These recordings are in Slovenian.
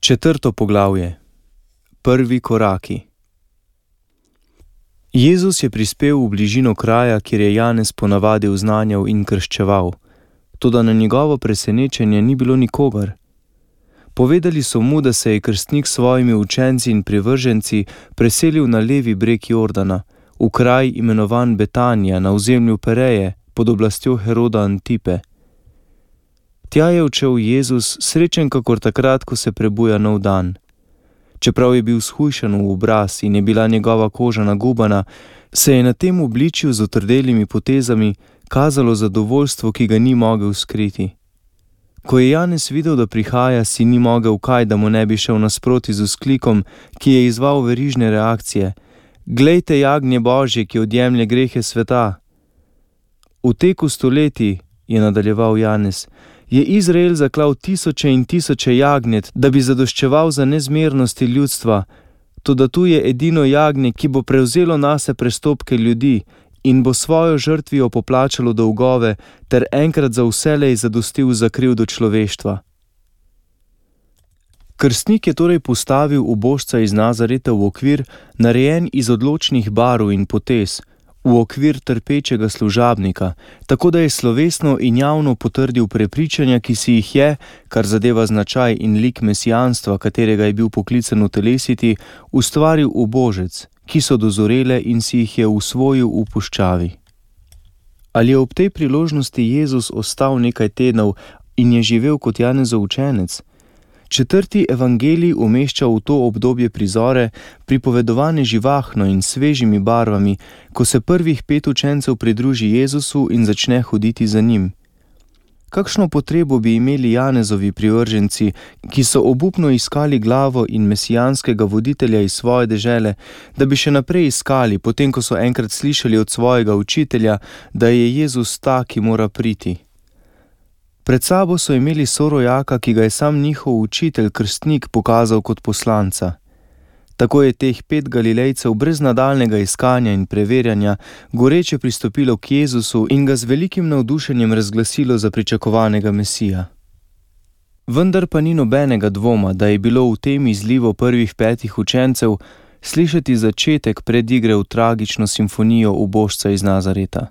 4. poglavje. Prvi koraki. Jezus je prispel v bližino kraja, kjer je Janez ponavadi oznanjal in krščeval, toda na njegovo presenečenje ni bilo nikogar. Povedali so mu, da se je krstnik s svojimi učenci in privrženci preselil na levi breg Jordana, v kraj imenovan Betanija na ozemlju Pereje pod oblastjo Heroda Antipe. Tja je odšel Jezus, srečen kakor takrat, ko se prebuja nov dan. Čeprav je bil shujšan v obraz in je bila njegova koža nagubana, se je na tem obličju z otrdelimi potezami kazalo zadovoljstvo, ki ga ni mogel skriti. Ko je Janez videl, da prihaja, si ni mogel kaj, da mu ne bi šel nasproti z vzklikom, ki je izzval verižne reakcije. Glejte jagnje Božje, ki odjemlje grehe sveta. V teku stoletij, je nadaljeval Janez, je Izrael zaklal tisoče in tisoče jagnjet, da bi zadoščeval za nezmernosti ljudstva, toda tu je edino jagnje, ki bo prevzelo nase prestopke ljudi in bo svojo žrtvijo poplačalo dolgove ter enkrat za vselej zadostil za krivdo človeštva. Krstnik je torej postavil ubožca iz Nazareta v okvir, narejen iz odločnih barv in potez, v okvir trpečega služabnika, tako da je slovesno in javno potrdil prepričanja, ki si jih je, kar zadeva značaj in lik mesijanstva, katerega je bil poklican utelesiti, ustvaril ubožec, ki so dozorele in si jih je usvojil v puščavi. Ali je ob tej priložnosti Jezus ostal nekaj tednov in je živel kot Janezov učenec? 4. evangelij umešča v to obdobje prizore, pripovedovane živahno in svežimi barvami, ko se prvih 5 učencev pridruži Jezusu in začne hoditi za njim. Kakšno potrebo bi imeli Janezovi privrženci, ki so obupno iskali glavo in mesijanskega voditelja iz svoje dežele, da bi še naprej iskali, potem ko so enkrat slišali od svojega učitelja, da je Jezus ta, ki mora priti. Pred sabo so imeli sorojaka, ki ga je sam njihov učitelj, krstnik, pokazal kot poslanca. Tako je teh 5 Galilejcev brez nadaljnega iskanja in preverjanja goreče pristopilo k Jezusu in ga z velikim navdušenjem razglasilo za pričakovanega Mesija. Vendar pa ni nobenega dvoma, da je bilo v tem izlivu prvih 5 učencev slišati začetek predigre v tragično simfonijo ubožca iz Nazareta.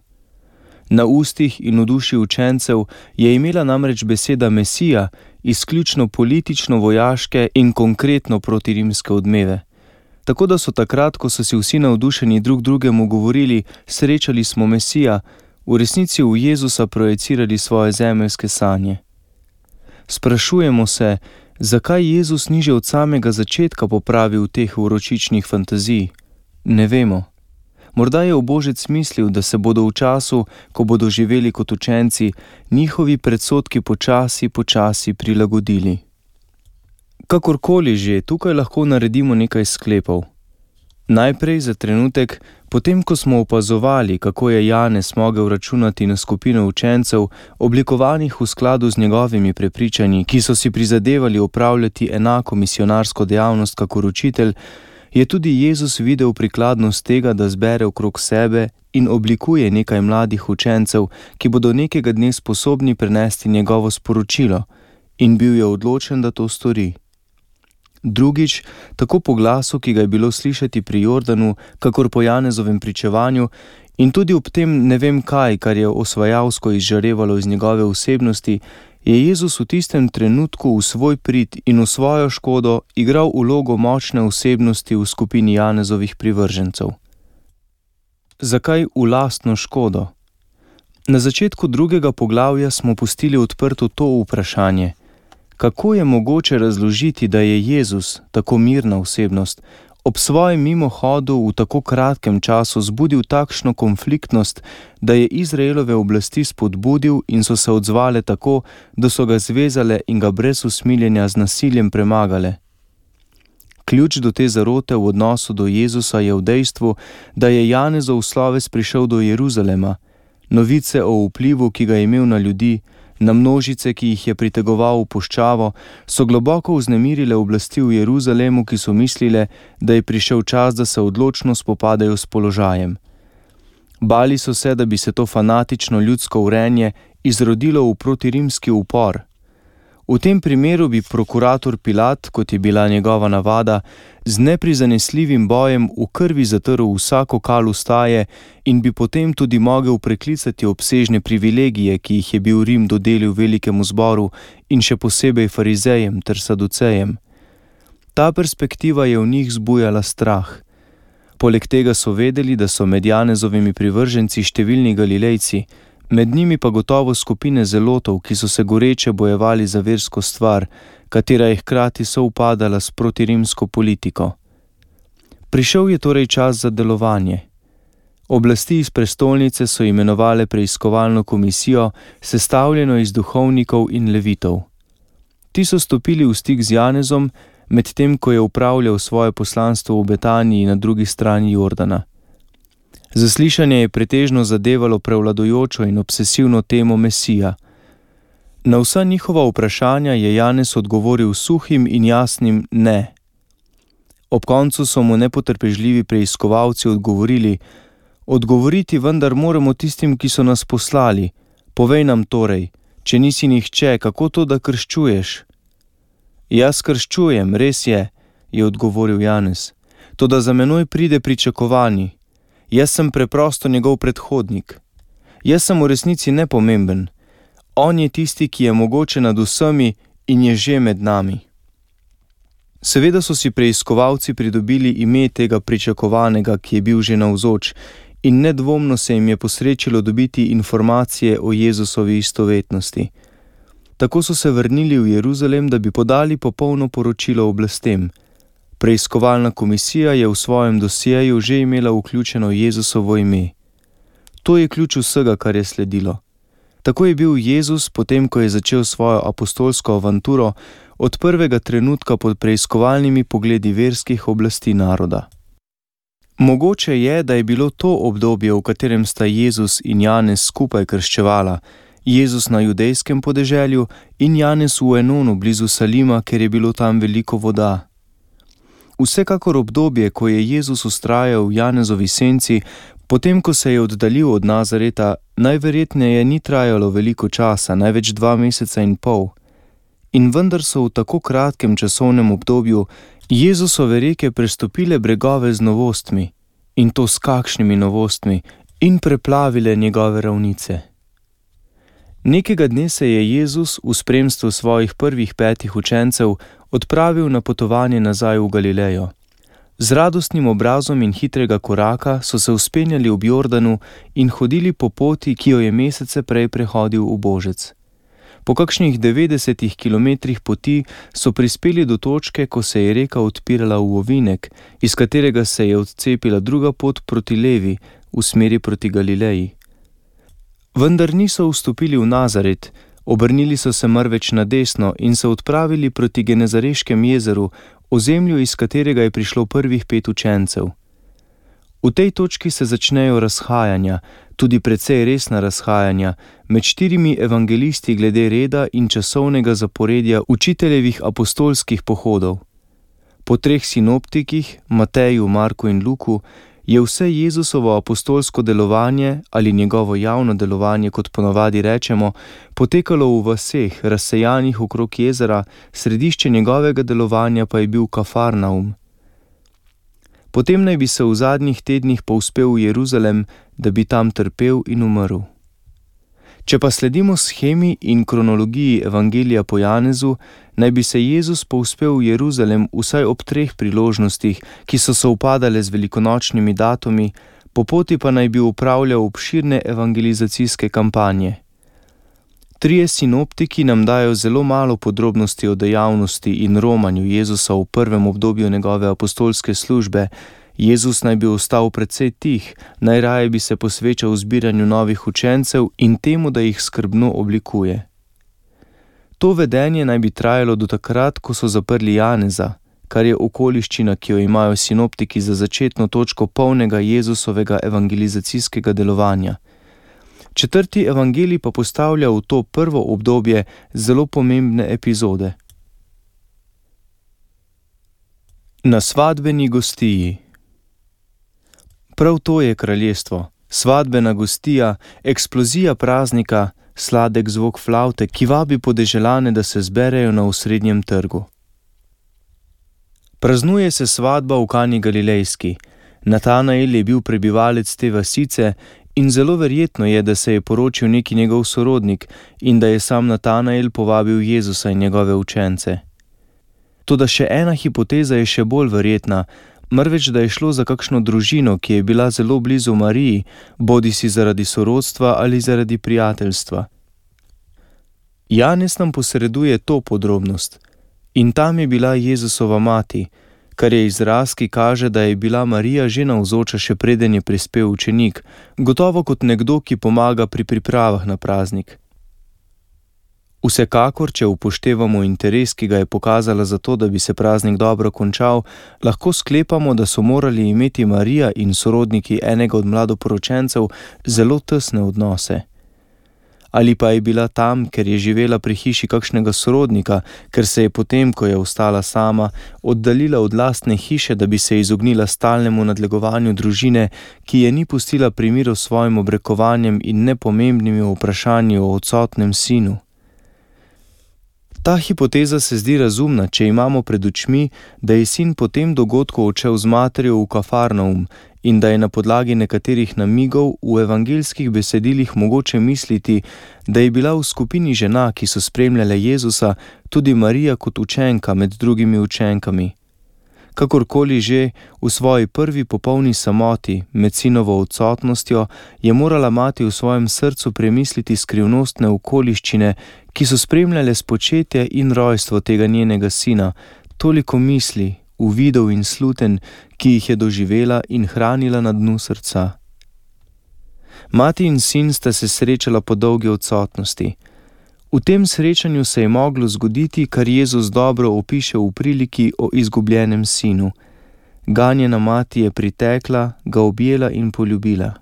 Na ustih in v duši učencev je imela namreč beseda Mesija izključno politično-vojaške in konkretno protirimske odmeve. Tako da so takrat, ko so si vsi navdušeni drug drugemu govorili, srečali smo Mesija, v resnici v Jezusa projecirali svoje zemeljske sanje. Sprašujemo se, zakaj Jezus ni že od samega začetka popravil teh vročičnih fantazij? Ne vemo. Morda je ubožec mislil, da se bodo v času, ko bodo živeli kot učenci, njihovi predsodki počasi prilagodili. Kakorkoli že, tukaj lahko naredimo nekaj sklepov. Najprej za trenutek, potem ko smo opazovali, kako je Janez mogel računati na skupino učencev, oblikovanih v skladu z njegovimi prepričanji, ki so si prizadevali opravljati enako misionarsko dejavnost kakor učitelj, je tudi Jezus videl prikladnost tega, da zbere okrog sebe in oblikuje nekaj mladih učencev, ki bodo nekega dne sposobni prenesti njegovo sporočilo, in bil je odločen, da to stori. Drugič, tako po glasu, ki ga je bilo slišati pri Jordanu, kakor po Janezovem pričevanju, in tudi ob tem ne vem kaj, kar je osvajalsko izžarevalo iz njegove osebnosti, je Jezus v tistem trenutku v svoj prid in v svojo škodo igral vlogo močne osebnosti v skupini Janezovih privržencev. Zakaj v lastno škodo? Na začetku 2. poglavja smo pustili odprto to vprašanje. Kako je mogoče razložiti, da je Jezus, tako mirna osebnost, ob svojem mimohodu v tako kratkem času zbudil takšno konfliktnost, da je Izraelove oblasti spodbudil in so se odzvale tako, da so ga zvezale in ga brez usmiljenja z nasiljem premagale? Ključ do te zarote v odnosu do Jezusa je v dejstvu, da je Janezov sloves prišel do Jeruzalema, novice o vplivu, ki ga je imel na ljudi, na množice, ki jih je pritegoval v puščavo, so globoko vznemirile oblasti v Jeruzalemu, ki so mislile, da je prišel čas, da se odločno spopadajo s položajem. Bali so se, da bi se to fanatično ljudsko vrenje izrodilo v protirimski upor. V tem primeru bi prokurator Pilat, kot je bila njegova navada, z neprizanesljivim bojem v krvi zatrl vsako kal ustaje in bi potem tudi mogel preklicati obsežne privilegije, ki jih je bil Rim dodelil velikemu zboru in še posebej farizejem ter saducejem. Ta perspektiva je v njih zbujala strah. Poleg tega so vedeli, da so med Janezovimi privrženci številni Galilejci, med njimi pa gotovo skupine zelotov, ki so se goreče bojevali za versko stvar, katera je hkrati sovpadala s protirimsko politiko. Prišel je torej čas za delovanje. Oblasti iz prestolnice so imenovale preiskovalno komisijo, sestavljeno iz duhovnikov in levitov. Ti so stopili v stik z Janezom, medtem ko je upravljal svoje poslanstvo v Betaniji na drugi strani Jordana. Zaslišanje je pretežno zadevalo prevladujočo in obsesivno temo Mesija. Na vsa njihova vprašanja je Janez odgovoril suhim in jasnim ne. Ob koncu so mu nepotrpežljivi preiskovalci odgovorili: odgovoriti vendar moramo tistim, ki so nas poslali. Povej nam torej, če nisi nihče, kako to, da krščuješ? Jaz krščujem, res je odgovoril Janez. Toda za menoj pride pričakovani. Jaz sem preprosto njegov predhodnik. Jaz sem v resnici nepomemben. On je tisti, ki je mogoče nad vsemi in je že med nami. Seveda so si preiskovalci pridobili ime tega pričakovanega, ki je bil že navzoč, in nedvomno se jim je posrečilo dobiti informacije o Jezusovi istovetnosti. Tako so se vrnili v Jeruzalem, da bi podali popolno poročilo oblastem. Preiskovalna komisija je v svojem dosjeju že imela vključeno Jezusovo ime. To je ključ vsega, kar je sledilo. Tako je bil Jezus, potem ko je začel svojo apostolsko avanturo, od prvega trenutka pod preiskovalnimi pogledi verskih oblasti naroda. Mogoče je, da je bilo to obdobje, v katerem sta Jezus in Janez skupaj krščevala, Jezus na judejskem podeželju in Janez v Enonu blizu Salima, ker je bilo tam veliko voda. Vsekakor obdobje, ko je Jezus vztrajal v Janezovi senci, potem ko se je oddaljil od Nazareta, najverjetneje ni trajalo veliko časa, največ 2 meseca in pol. In vendar so v tako kratkem časovnem obdobju Jezusove reke prestopile bregove z novostmi, in to s kakšnimi novostmi, in preplavile njegove ravnice. Nekega dne se je Jezus v spremstvu svojih prvih 5 učencev odpravil na potovanje nazaj v Galilejo. Z radostnim obrazom in hitrega koraka so se vzpenjali ob Jordanu in hodili po poti, ki jo je mesece prej prehodil ubožec. Po kakšnih 90 kilometrih poti so prispeli do točke, ko se je reka odpirala v ovinek, iz katerega se je odcepila druga pot proti levi, v smeri proti Galileji. Vendar niso vstopili v Nazaret, obrnili so se marveč na desno in se odpravili proti Genezareškem jezeru, ozemlju, iz katerega je prišlo prvih 5 učencev. V tej točki se začnejo razhajanja, tudi precej resna razhajanja, med 4 evangelisti glede reda in časovnega zaporedja učiteljevih apostolskih pohodov. Po 3 sinoptikih, Mateju, Marku in Luku, je vse Jezusovo apostolsko delovanje ali njegovo javno delovanje, kot ponavadi rečemo, potekalo v vaseh, razsejanih okrog jezera, središče njegovega delovanja pa je bil Kafarnaum. Potem naj bi se v zadnjih tednih povzpel v Jeruzalem, da bi tam trpel in umrl. Če pa sledimo shemi in kronologiji evangelija po Janezu, naj bi se Jezus povzpel v Jeruzalem vsaj ob 3 priložnostih, ki so sovpadale z velikonočnimi datumi, po poti pa naj bi upravljal obširne evangelizacijske kampanje. 3 sinoptiki nam dajo zelo malo podrobnosti o dejavnosti in romanju Jezusa v prvem obdobju njegove apostolske službe. Jezus naj bi ostal precej tih, najraje bi se posvečal zbiranju novih učencev in temu, da jih skrbno oblikuje. To vedenje naj bi trajalo do takrat, ko so zaprli Janeza, kar je okoliščina, ki jo imajo sinoptiki za začetno točko polnega Jezusovega evangelizacijskega delovanja. 4. evangelij pa postavlja v to prvo obdobje zelo pomembne epizode. Na svadbeni gostiji. Prav to je kraljestvo, svadbena gostija, eksplozija praznika, sladek zvok flavte, ki vabi podeželane, da se zberejo na osrednjem trgu. Praznuje se svadba v Kani Galilejski. Natanael je bil prebivalec te vasice in zelo verjetno je, da se je poročil neki njegov sorodnik in da je sam Natanael povabil Jezusa in njegove učence. Toda še ena hipoteza je še bolj verjetna, marveč da je šlo za kakšno družino, ki je bila zelo blizu Mariji, bodisi zaradi sorodstva ali zaradi prijateljstva. Janez nam posreduje to podrobnost. In tam je bila Jezusova mati, kar je izraz, ki kaže, da je bila Marija že navzoča, še preden je prispel učenik, gotovo kot nekdo, ki pomaga pri pripravah na praznik. Vsekakor, če upoštevamo interes, ki ga je pokazala za to, da bi se praznik dobro končal, lahko sklepamo, da so morali imeti Marija in sorodniki enega od mladoporočencev zelo tesne odnose. Ali pa je bila tam, ker je živela pri hiši kakšnega sorodnika, ker se je potem, ko je ostala sama, oddaljila od lastne hiše, da bi se izognila stalnemu nadlegovanju družine, ki je ni pustila pri miru s svojim obrekovanjem in nepomembnimi vprašanji o odsotnem sinu. Ta hipoteza se zdi razumna, če imamo pred očmi, da je sin po tem dogodku odšel z materjo v Kafarnaum in da je na podlagi nekaterih namigov v evangeljskih besedilih mogoče misliti, da je bila v skupini žena, ki so spremljale Jezusa, tudi Marija kot učenka med drugimi učenkami. Kakorkoli že, v svoji prvi popolni samoti, med sinovo odsotnostjo, je morala mati v svojem srcu premisliti skrivnostne okoliščine, ki so spremljale spočetje in rojstvo tega njenega sina, toliko misli, uvidov in sluten, ki jih je doživela in hranila na dnu srca. Mati in sin sta se srečala po dolgi odsotnosti. V tem srečanju se je moglo zgoditi, kar Jezus dobro opiše v priliki o izgubljenem sinu. Ganjena mati je pritekla, ga objela in poljubila.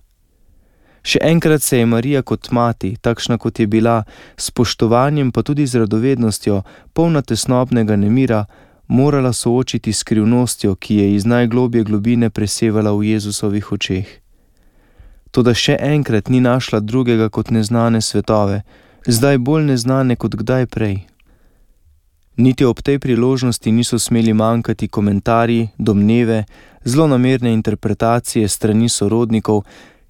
Še enkrat se je Marija kot mati, takšna kot je bila, s spoštovanjem pa tudi z radovednostjo, polna tesnobnega nemira, morala soočiti s skrivnostjo, ki je iz najglobje globine presevala v Jezusovih očeh. Toda še enkrat ni našla drugega kot neznane svetove, zdaj bolj neznane kot kdaj prej. Niti ob tej priložnosti niso smeli manjkati komentarji, domneve, zlonamerne interpretacije strani sorodnikov,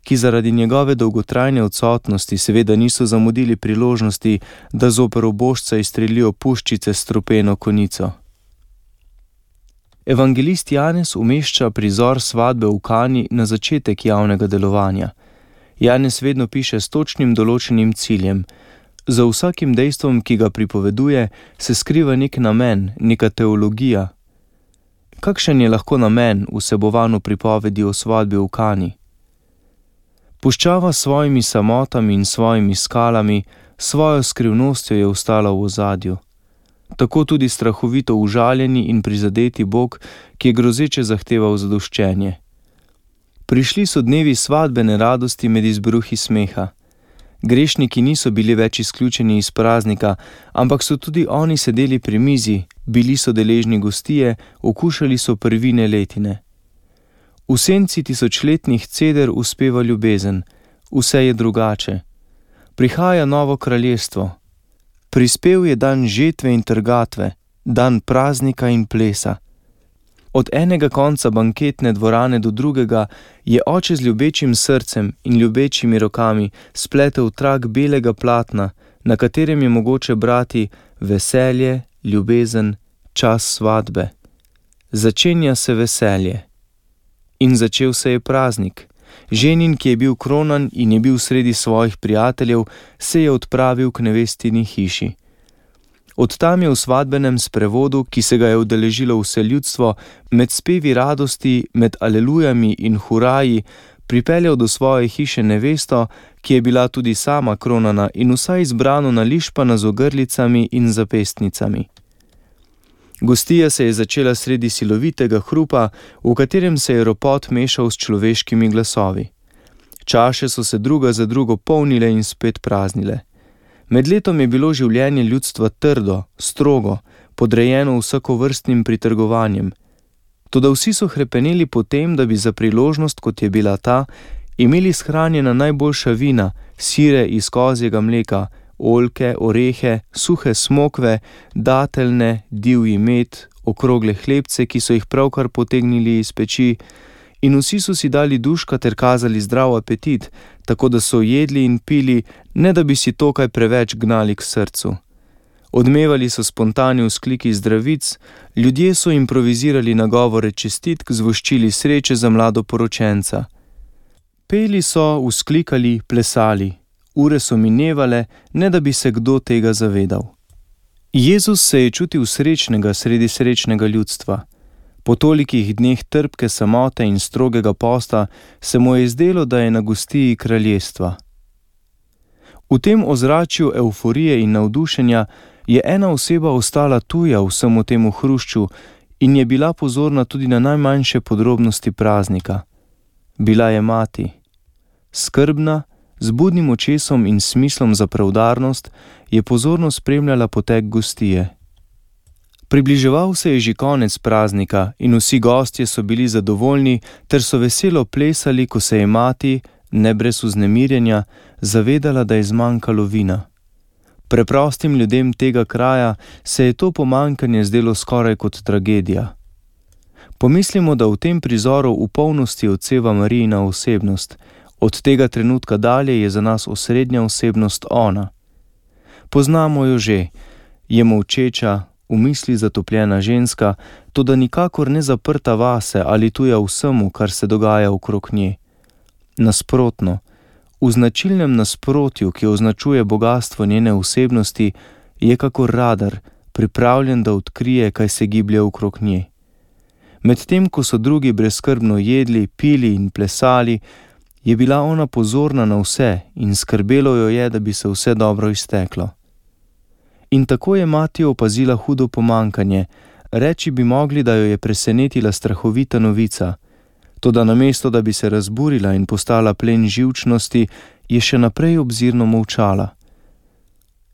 ki zaradi njegove dolgotrajne odsotnosti seveda niso zamudili priložnosti, da zoper ubožca izstrelijo puščice s strupeno konico. Evangelist Janez umešča prizor svadbe v Kani na začetek javnega delovanja. Janez vedno piše s točnim določenim ciljem. Za vsakim dejstvom, ki ga pripoveduje, se skriva nek namen, neka teologija. Kakšen je lahko namen vsebovan v pripovedi o svadbi v Kani? Puščava s svojimi samotami in svojimi skalami, svojo skrivnostjo je ostala v ozadju. Tako tudi strahovito užaljeni in prizadeti Bog, ki je grozeče zahteval zadoščenje. Prišli so dnevi svadbene radosti med izbruhi smeha. Grešniki niso bili več izključeni iz praznika, ampak so tudi oni sedeli pri mizi, bili so deležni gostije, okušali so prvine letine. V senci tisočletnih ceder uspeva ljubezen, vse je drugače. Prihaja novo kraljestvo. Prispel je dan žetve in trgatve, dan praznika in plesa. Od enega konca banketne dvorane do drugega je oče z ljubečim srcem in ljubečimi rokami spletel trak belega platna, na katerem je mogoče brati veselje, ljubezen, čas svadbe. Začenja se veselje. In začel se je praznik. Ženin, ki je bil kronan in je bil sredi svojih prijateljev, se je odpravil k nevestini hiši. Od tam je v svadbenem sprevodu, ki se ga je udeležilo vse ljudstvo, med spevi radosti, med alelujami in huraji, pripeljal do svoje hiše nevesto, ki je bila tudi sama kronana in vsa izbrano nališpana z ogrlicami in zapestnicami. Gostija se je začela sredi silovitega hrupa, v katerem se je ropot mešal s človeškimi glasovi. Čaše so se druga za drugo polnile in spet praznile. Med letom je bilo življenje ljudstva trdo, strogo, podrejeno vsakovrstnim pritrgovanjem. Toda vsi so hrepeneli po tem, da bi za priložnost, kot je bila ta, imeli shranjena najboljša vina, sire iz kozjega mleka, oljke, orehe, suhe smokve, dateljne, divji med, okrogle hlebce, ki so jih pravkar potegnili iz peči, in vsi so si dali duška ter kazali zdrav apetit, tako da so jedli in pili, ne da bi si to kaj preveč gnali k srcu. Odmevali so spontani vzkliki zdravic, ljudje so improvizirali nagovore čestitk, zvoščili sreče za mladoporočenca. Peli so, vzklikali, plesali. Ure so minevale, ne da bi se kdo tega zavedal. Jezus se je čutil srečnega sredi srečnega ljudstva. Po tolikih dneh trpke samote in strogega posta se mu je zdelo, da je na gostiji kraljestva. V tem ozračju evforije in navdušenja je ena oseba ostala tuja vsemu temu hrušču in je bila pozorna tudi na najmanjše podrobnosti praznika. Bila je mati. Skrbna, z budnim očesom in smislom za preudarnost, je pozorno spremljala potek gostije. Približeval se je že konec praznika in vsi gostje so bili zadovoljni ter so veselo plesali, ko se je mati, ne brez vznemirjenja, zavedala, da je zmanjkalo vina. Preprostim ljudem tega kraja se je to pomanjkanje zdelo skoraj kot tragedija. Pomislimo, da v tem prizoru v polnosti odseva Marijina osebnost. Od tega trenutka dalje je za nas osrednja osebnost ona. Poznamo jo že, je molčeča, v misli zatopljena ženska, toda nikakor ne zaprta vase ali tuja vsemu, kar se dogaja okrog nje. Nasprotno, v značilnem nasprotju, ki označuje bogastvo njene osebnosti, je kakor radar, pripravljen, da odkrije, kaj se giblje okrog nje. Medtem, ko so drugi brezskrbno jedli, pili in plesali, je bila ona pozorna na vse in skrbelo jo je, da bi se vse dobro izteklo. In tako je mati opazila hudo pomanjkanje, reči bi mogli, da jo je presenetila strahovita novica. Toda namesto, da bi se razburila in postala plen živčnosti, je še naprej obzirno molčala.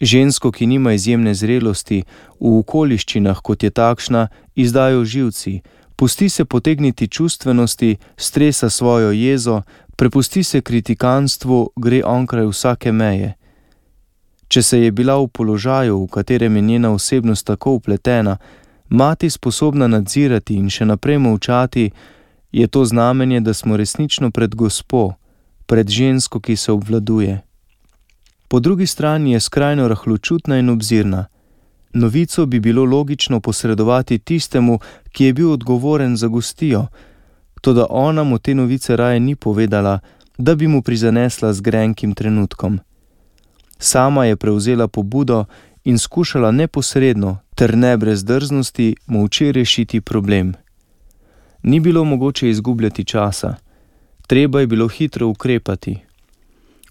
Žensko, ki nima izjemne zrelosti, v okoliščinah, kot je takšna, izdajo živci, pusti se potegniti čustvenosti, stresa svojo jezo, prepusti se kritikanstvu, gre onkraj vsake meje. Če se je bila v položaju, v katerem je njena osebnost tako vpletena, mati sposobna nadzirati in še naprej molčati, je to znamenje, da smo resnično pred Gospo, pred žensko, ki se obvladuje. Po drugi strani je skrajno rahločutna in obzirna. Novico bi bilo logično posredovati tistemu, ki je bil odgovoren za gostijo, toda ona mu te novice raje ni povedala, da bi mu prizanesla z grenkim trenutkom. Sama je prevzela pobudo in skušala neposredno, ter ne brez drznosti, molče rešiti problem. Ni bilo mogoče izgubljati časa. Treba je bilo hitro ukrepati.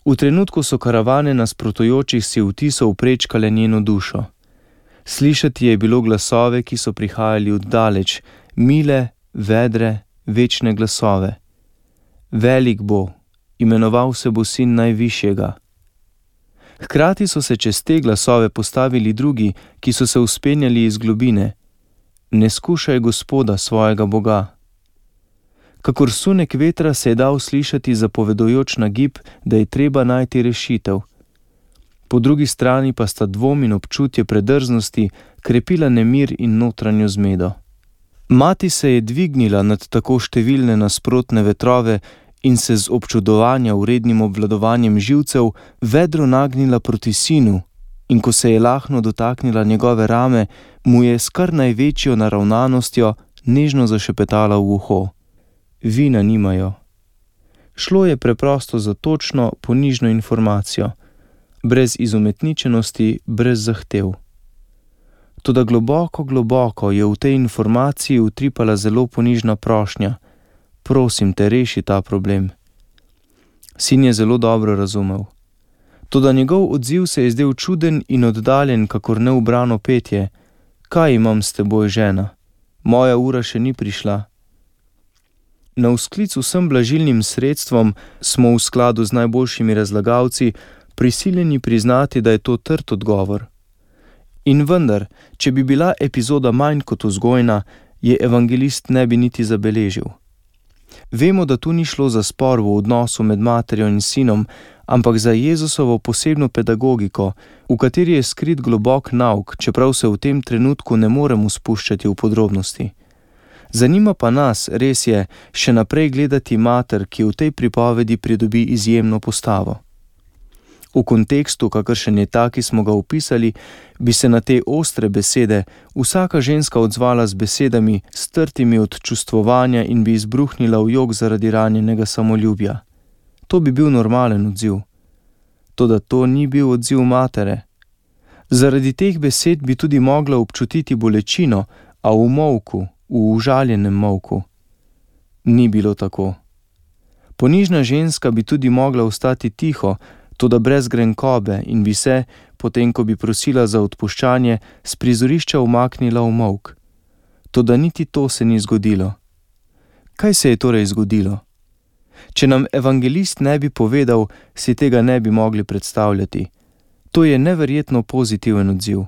V trenutku so karavane nasprotujočih si vtisov prečkale njeno dušo. Slišati je bilo glasove, ki so prihajali od daleč, mile, vedre, večne glasove. Velik bo, imenoval se bo sin najvišjega. Hkrati so se čez te glasove postavili drugi, ki so se vzpenjali iz globine. Ne skušaj Gospoda, svojega Boga. Kakor sunek vetra se je dal slišati zapovedujoč nagib, da je treba najti rešitev. Po drugi strani pa sta dvom in občutje predrznosti krepila nemir in notranjo zmedo. Mati se je dvignila nad tako številne nasprotne vetrove in se z občudovanja vrednim obvladovanjem živcev vedro nagnila proti sinu, in ko se je lahno dotaknila njegove rame, mu je s kar največjo naravnanostjo nežno zašepetala v uho. Vina nimajo. Šlo je preprosto za točno, ponižno informacijo, brez izumetničenosti, brez zahtev. Toda globoko, globoko je v tej informaciji utripala zelo ponižna prošnja. Prosim te, reši ta problem. Sin je zelo dobro razumel. Toda njegov odziv se je zdel čuden in oddaljen, kakor neubrano petje. Kaj imam s teboj, žena? Moja ura še ni prišla. Na vzklic vsem blažilnim sredstvom smo v skladu z najboljšimi razlagalci prisiljeni priznati, da je to trd odgovor. In vendar, če bi bila epizoda manj kot vzgojna, je evangelist ne bi niti zabeležil. Vemo, da tu ni šlo za spor v odnosu med materjo in sinom, ampak za Jezusovo posebno pedagogiko, v kateri je skrit globok nauk, čeprav se v tem trenutku ne moremo spuščati v podrobnosti. Zanima pa nas, res je, še naprej gledati mater, ki v tej pripovedi pridobi izjemno postavo. V kontekstu, kakršen je ta, ki smo ga opisali, bi se na te ostre besede vsaka ženska odzvala z besedami, strtimi od čustvovanja in bi izbruhnila v jok zaradi ranjenega samoljubja. To bi bil normalen odziv. Toda to ni bil odziv matere. Zaradi teh besed bi tudi mogla občutiti bolečino, a v molku, v užaljenem molku. Ni bilo tako. Ponižna ženska bi tudi mogla ostati tiho, toda brez grenkobe in bi se, potem ko bi prosila za odpuščanje, s prizorišča umaknila v molk. Toda niti to se ni zgodilo. Kaj se je torej zgodilo? Če nam evangelist ne bi povedal, si tega ne bi mogli predstavljati. To je neverjetno pozitiven odziv.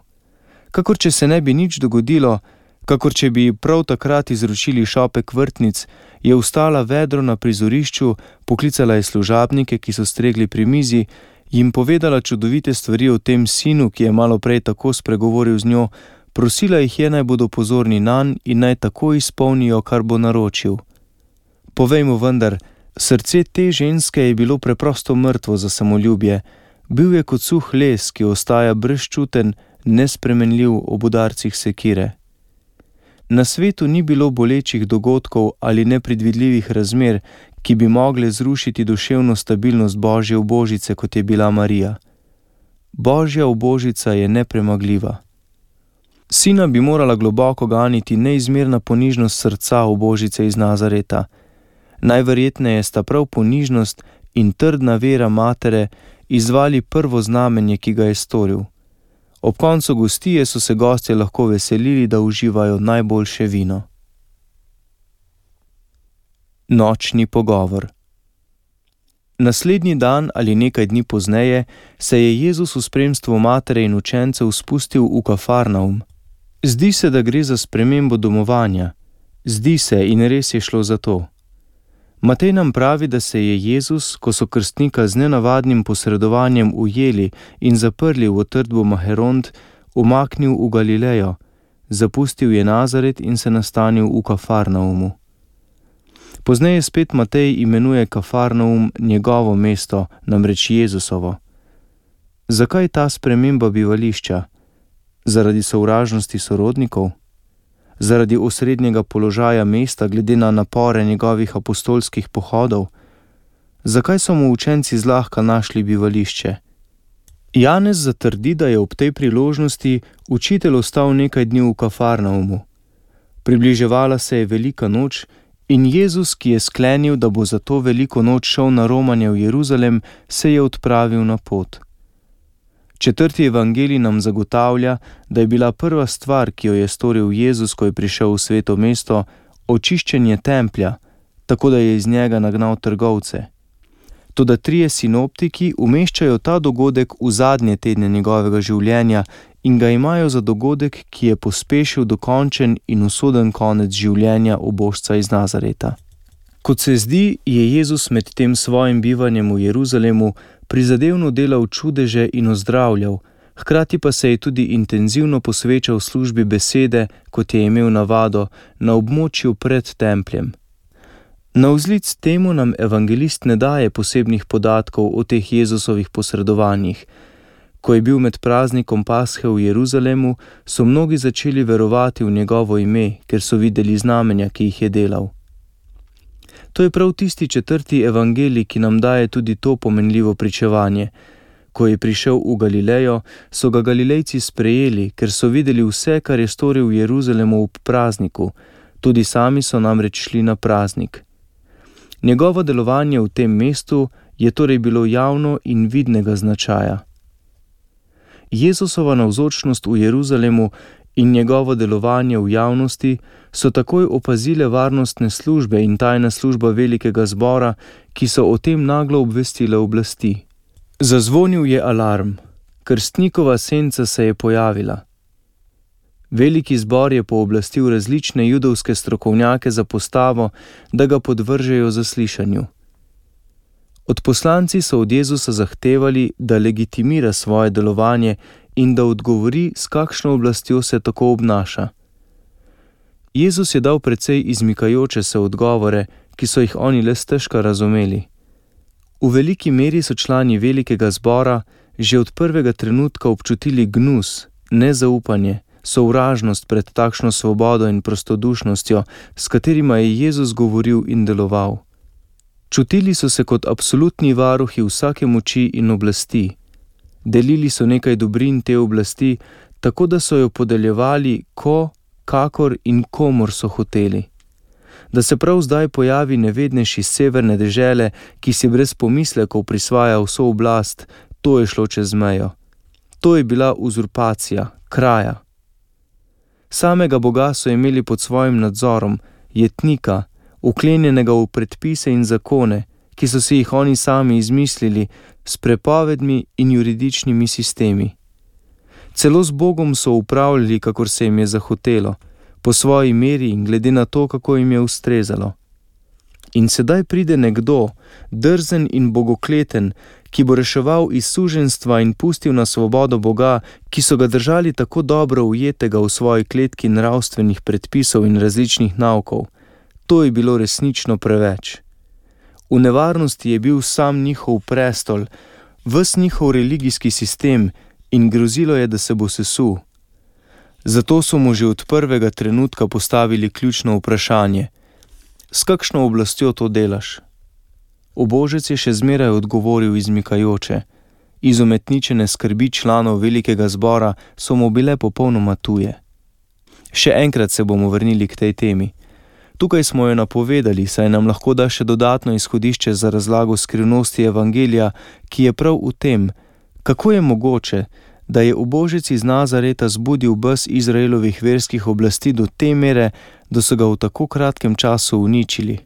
Kakor če se ne bi nič dogodilo, kakor če bi prav takrat izročili šopek vrtnic, je vstala vedro na prizorišču, poklicala je služabnike, ki so stregli pri mizi, jim povedala čudovite stvari o tem sinu, ki je malo prej tako spregovoril z njo, prosila jih je, naj bodo pozorni nanj in naj tako izpolnijo, kar bo naročil. Povejmo vendar, srce te ženske je bilo preprosto mrtvo za samoljubje, bil je kot suh les, ki ostaja brezčuten, nespremenljiv ob udarcih sekire. Na svetu ni bilo bolečih dogodkov ali nepredvidljivih razmer, ki bi mogle zrušiti duševno stabilnost Božje ubožice, kot je bila Marija. Božja ubožica je nepremagljiva. Sina bi morala globoko ganiti neizmerna ponižnost srca ubožice iz Nazareta. Najverjetneje sta prav ponižnost in trdna vera matere izvali prvo znamenje, ki ga je storil. Ob koncu gostije so se gostje lahko veselili, da uživajo najboljše vino. Nočni pogovor. Naslednji dan ali nekaj dni pozneje se je Jezus v spremstvu matere in učencev spustil v Kafarnaum. Zdi se, da gre za spremembo domovanja. Zdi se in res je šlo za to. Matej nam pravi, da se je Jezus, ko so krstnika z nenavadnim posredovanjem ujeli in zaprli v utrdbo Maheront, umaknil v Galilejo, zapustil je Nazaret in se nastanil v Kafarnaumu. Pozneje spet Matej imenuje Kafarnaum njegovo mesto, namreč Jezusovo. Zakaj ta sprememba bivališča? Zaradi sovražnosti sorodnikov? Zaradi osrednjega položaja mesta glede na napore njegovih apostolskih pohodov? Zakaj so mu učenci zlahka našli bivališče? Janez zatrdi, da je ob tej priložnosti učitelj ostal nekaj dni v Kafarnaumu. Približevala se je velika noč in Jezus, ki je sklenil, da bo za to veliko noč šel na romanje v Jeruzalem, se je odpravil na pot. 4. evangelij nam zagotavlja, da je bila prva stvar, ki jo je storil Jezus, ko je prišel v sveto mesto, očiščenje templja, tako da je iz njega nagnal trgovce. Toda 3 sinoptiki umeščajo ta dogodek v zadnje tedne njegovega življenja in ga imajo za dogodek, ki je pospešil dokončen in usoden konec življenja ubožca iz Nazareta. Kot se zdi, je Jezus med tem svojim bivanjem v Jeruzalemu prizadevno delal čudeže in ozdravljal, hkrati pa se je tudi intenzivno posvečal službi besede, kot je imel navado, na območju pred templjem. Navzlic temu nam evangelist ne daje posebnih podatkov o teh Jezusovih posredovanjih. Ko je bil med praznikom Pashe v Jeruzalemu, so mnogi začeli verovati v njegovo ime, ker so videli znamenja, ki jih je delal. To je prav tisti 4. evangelij, ki nam daje tudi to pomenljivo pričevanje. Ko je prišel v Galilejo, so ga Galilejci sprejeli, ker so videli vse, kar je storil v Jeruzalemu ob prazniku. Tudi sami so namreč šli na praznik. Njegovo delovanje v tem mestu je torej bilo javno in vidnega značaja. Jezusova navzočnost v Jeruzalemu in njegovo delovanje v javnosti so takoj opazile varnostne službe in tajna služba velikega zbora, ki so o tem naglo obvestile oblasti. Zazvonil je alarm. Krstnikova senca se je pojavila. Veliki zbor je pooblastil različne judovske strokovnjake za postavo, da ga podvržejo zaslišanju. Odposlanci so od Jezusa zahtevali, da legitimira svoje delovanje in da odgovori, s kakšno oblastjo se tako obnaša. Jezus je dal precej izmikajoče se odgovore, ki so jih oni le stežka razumeli. V veliki meri so člani velikega zbora že od prvega trenutka občutili gnus, nezaupanje, sovražnost pred takšno svobodo in prostodušnostjo, s katerima je Jezus govoril in deloval. Čutili so se kot absolutni varuhi vsake moči in oblasti. Delili so nekaj dobrin te oblasti, tako da so jo podeljevali kakor in komur so hoteli. Da se prav zdaj pojavi nevednejši iz severne dežele, ki si brez pomislekov prisvaja vso oblast, to je šlo čez mejo. To je bila uzurpacija, kraja. Samega Boga so imeli pod svojim nadzorom, jetnika, vklenjenega v predpise in zakone, ki so si jih oni sami izmislili, s prepovedmi in juridičnimi sistemi. Celo z Bogom so upravljali, kakor se jim je zahotelo, po svoji meri in glede na to, kako jim je ustrezalo. In sedaj pride nekdo, drzen in bogokleten, ki bo reševal iz suženjstva in pustil na svobodo Boga, ki so ga držali tako dobro ujetega v svoji kletki nravstvenih predpisov in različnih naukov. To je bilo resnično preveč. V nevarnosti je bil sam njihov prestol, ves njihov religijski sistem in grozilo je, da se bo sesul. Zato so mu že od prvega trenutka postavili ključno vprašanje: s kakšno oblastjo to delaš? Ubožec je še zmeraj odgovoril izmikajoče. Izumetničene skrbi članov velikega zbora so mu bile popolnoma tuje. Še enkrat se bomo vrnili k tej temi. Tukaj smo jo napovedali, saj nam lahko da še dodatno izhodišče za razlago skrivnosti evangelija, ki je prav v tem, kako je mogoče, da je ubožec iz Nazareta zbudil bes Izraelovih verskih oblasti do te mere, da so ga v tako kratkem času uničili.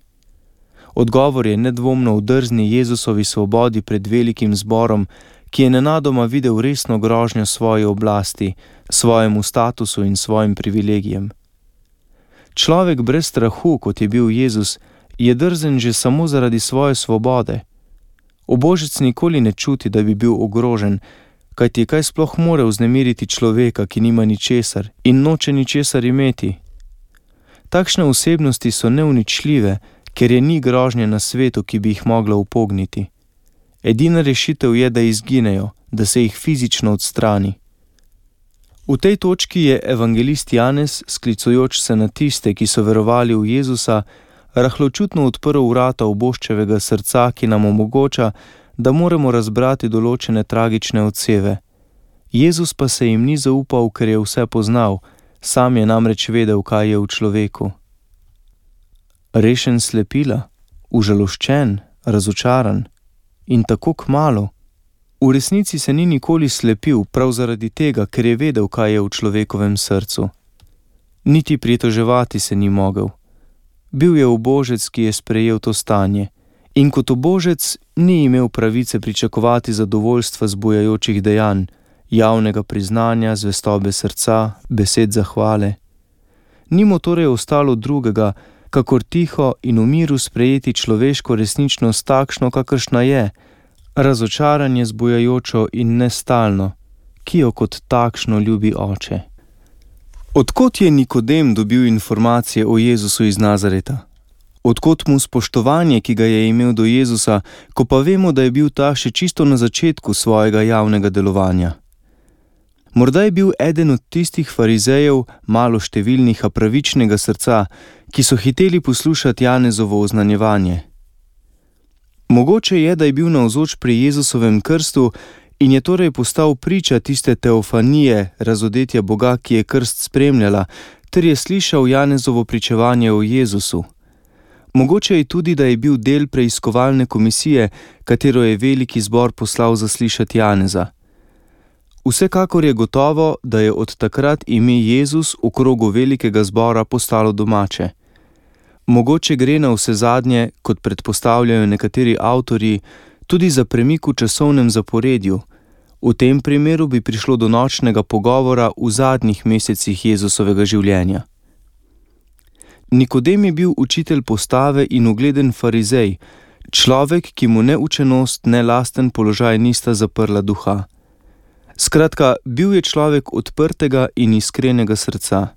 Odgovor je nedvomno v drzni Jezusovi svobodi pred velikim zborom, ki je nenadoma videl resno grožnjo svoji oblasti, svojemu statusu in svojim privilegijem. Človek brez strahu, kot je bil Jezus, je drzen že samo zaradi svoje svobode. Ubožec nikoli ne čuti, da bi bil ogrožen, kajti kaj sploh more vznemiriti človeka, ki nima ničesar in noče ničesar imeti. Takšne osebnosti so neuničljive, ker je ni grožnje na svetu, ki bi jih mogla upogniti. Edina rešitev je, da izginejo, da se jih fizično odstrani. V tej točki je evangelist Janez, sklicujoč se na tiste, ki so verovali v Jezusa, rahločutno odprl vrata ubožčevega srca, ki nam omogoča, da moramo razbrati določene tragične odseve. Jezus pa se jim ni zaupal, ker je vse poznal, sam je namreč vedel, kaj je v človeku. Rešen slepila, užaloščen, razočaran in tako kmalu. V resnici se ni nikoli slepil prav zaradi tega, ker je vedel, kaj je v človekovem srcu. Niti pritoževati se ni mogel. Bil je ubožec, ki je sprejel to stanje, in kot ubožec ni imel pravice pričakovati zadovoljstva zbujajočih dejanj, javnega priznanja, zvestobe srca, besed zahvale. Ni mu torej ostalo drugega, kakor tiho in v miru sprejeti človeško resničnost takšno, kakršna je, razočaranje zbujajočo in nestalno, ki jo kot takšno ljubi oče. Odkot je Nikodem dobil informacije o Jezusu iz Nazareta? Odkot mu spoštovanje, ki ga je imel do Jezusa, ko pa vemo, da je bil ta še čisto na začetku svojega javnega delovanja? Morda je bil eden od tistih farizejev, malo številnih, a pravičnega srca, ki so hiteli poslušati Janezovo oznanjevanje. Mogoče je, da je bil navzoč pri Jezusovem krstu in je torej postal priča tiste teofanije, razodetja Boga, ki je krst spremljala, ter je slišal Janezovo pričevanje o Jezusu. Mogoče je tudi, da je bil del preiskovalne komisije, katero je veliki zbor poslal zaslišati Janeza. Vsekakor je gotovo, da je od takrat ime Jezus v krogu velikega zbora postalo domače. Mogoče gre na vse zadnje, kot predpostavljajo nekateri avtorji, tudi za premik v časovnem zaporedju. V tem primeru bi prišlo do nočnega pogovora v zadnjih mesecih Jezusovega življenja. Nikodem je bil učitelj postave in ugleden farizej, Človek, ki mu ne učenost, ne lasten položaj nista zaprla duha. Skratka, bil je človek odprtega in iskrenega srca.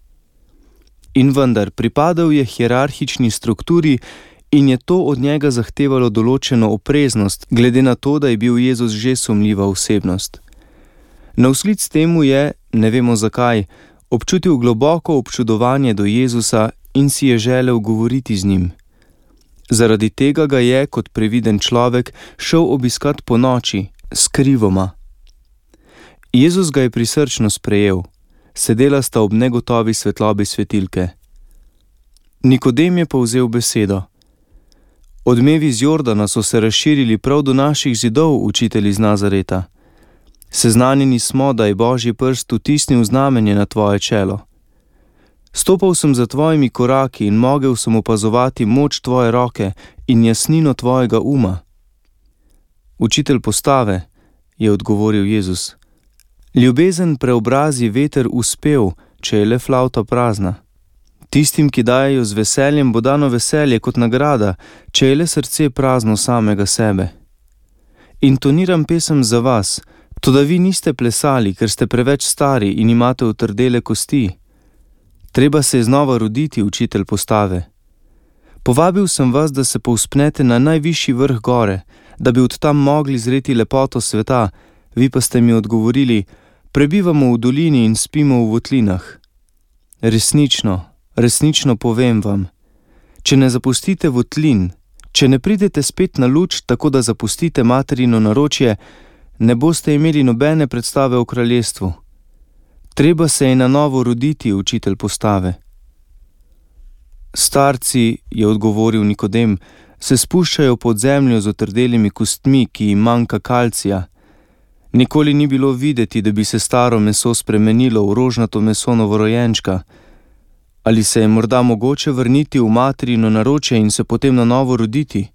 In vendar, pripadal je hierarhični strukturi in je to od njega zahtevalo določeno opreznost, glede na to, da je bil Jezus že sumljiva osebnost. Navslic temu je, ne vemo zakaj, občutil globoko občudovanje do Jezusa in si je želel govoriti z njim. Zaradi tega ga je, kot previden človek, šel obiskat ponoči, skrivoma. Jezus ga je prisrčno sprejel, sedela sta ob negotovi svetlobi svetilke. Nikodem je povzel besedo. Odmevi z Jordana so se razširili prav do naših zidov, učitelj iz Nazareta. Seznanjeni smo, da je Božji prst vtisnil znamenje na tvoje čelo. Stopal sem za tvojimi koraki in mogel sem opazovati moč tvoje roke in jasnino tvojega uma. Učitelj postave, je odgovoril Jezus. Ljubezen preobrazi veter v spev, če je le flavta prazna. Tistim, ki dajejo z veseljem, bo dano veselje kot nagrada, če je le srce prazno samega sebe. Intoniram pesem za vas, toda vi niste plesali, ker ste preveč stari in imate utrdele kosti. Treba se je znova roditi, učitelj postave. Povabil sem vas, da se povzpnete na najvišji vrh gore, da bi od tam mogli zreti lepoto sveta, vi pa ste mi odgovorili, prebivamo v dolini in spimo v votlinah. Resnično povem vam, če ne zapustite votlin, če ne pridete spet na luč, tako da zapustite materino naročje, ne boste imeli nobene predstave o kraljestvu. Treba se je na novo roditi, učitelj postave. Starci, je odgovoril Nikodem, se spuščajo pod zemljo z otrdelimi kostmi, ki jim manjka kalcija. Nikoli ni bilo videti, da bi se staro meso spremenilo v rožnato meso novorojenčka. Ali se je morda mogoče vrniti v materino naročje in se potem na novo roditi?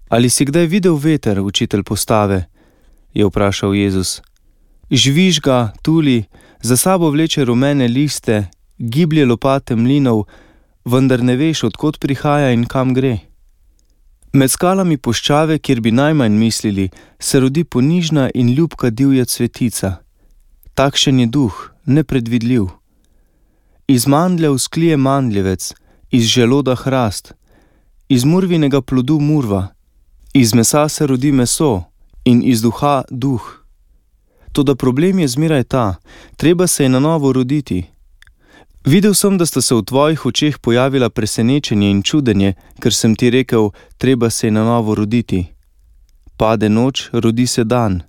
Ali si kdaj videl veter, učitelj postave? Je vprašal Jezus. Žvižga, tuli, za sabo vleče rumene liste, giblje lopate mlinov, vendar ne veš, od kod prihaja in kam gre. Med skalami puščave, kjer bi najmanj mislili, se rodi ponižna in ljubka divja cvetica. Takšen je duh, nepredvidljiv. Iz mandljev sklije mandljevec, iz želoda hrast, iz murvinega plodu murva, iz mesa se rodi meso in iz duha duh. Toda problem je zmeraj ta, treba se je na novo roditi. Videl sem, da sta se v tvojih očeh pojavila presenečenje in čudenje, ker sem ti rekel, treba se je na novo roditi. Pade noč, rodi se dan.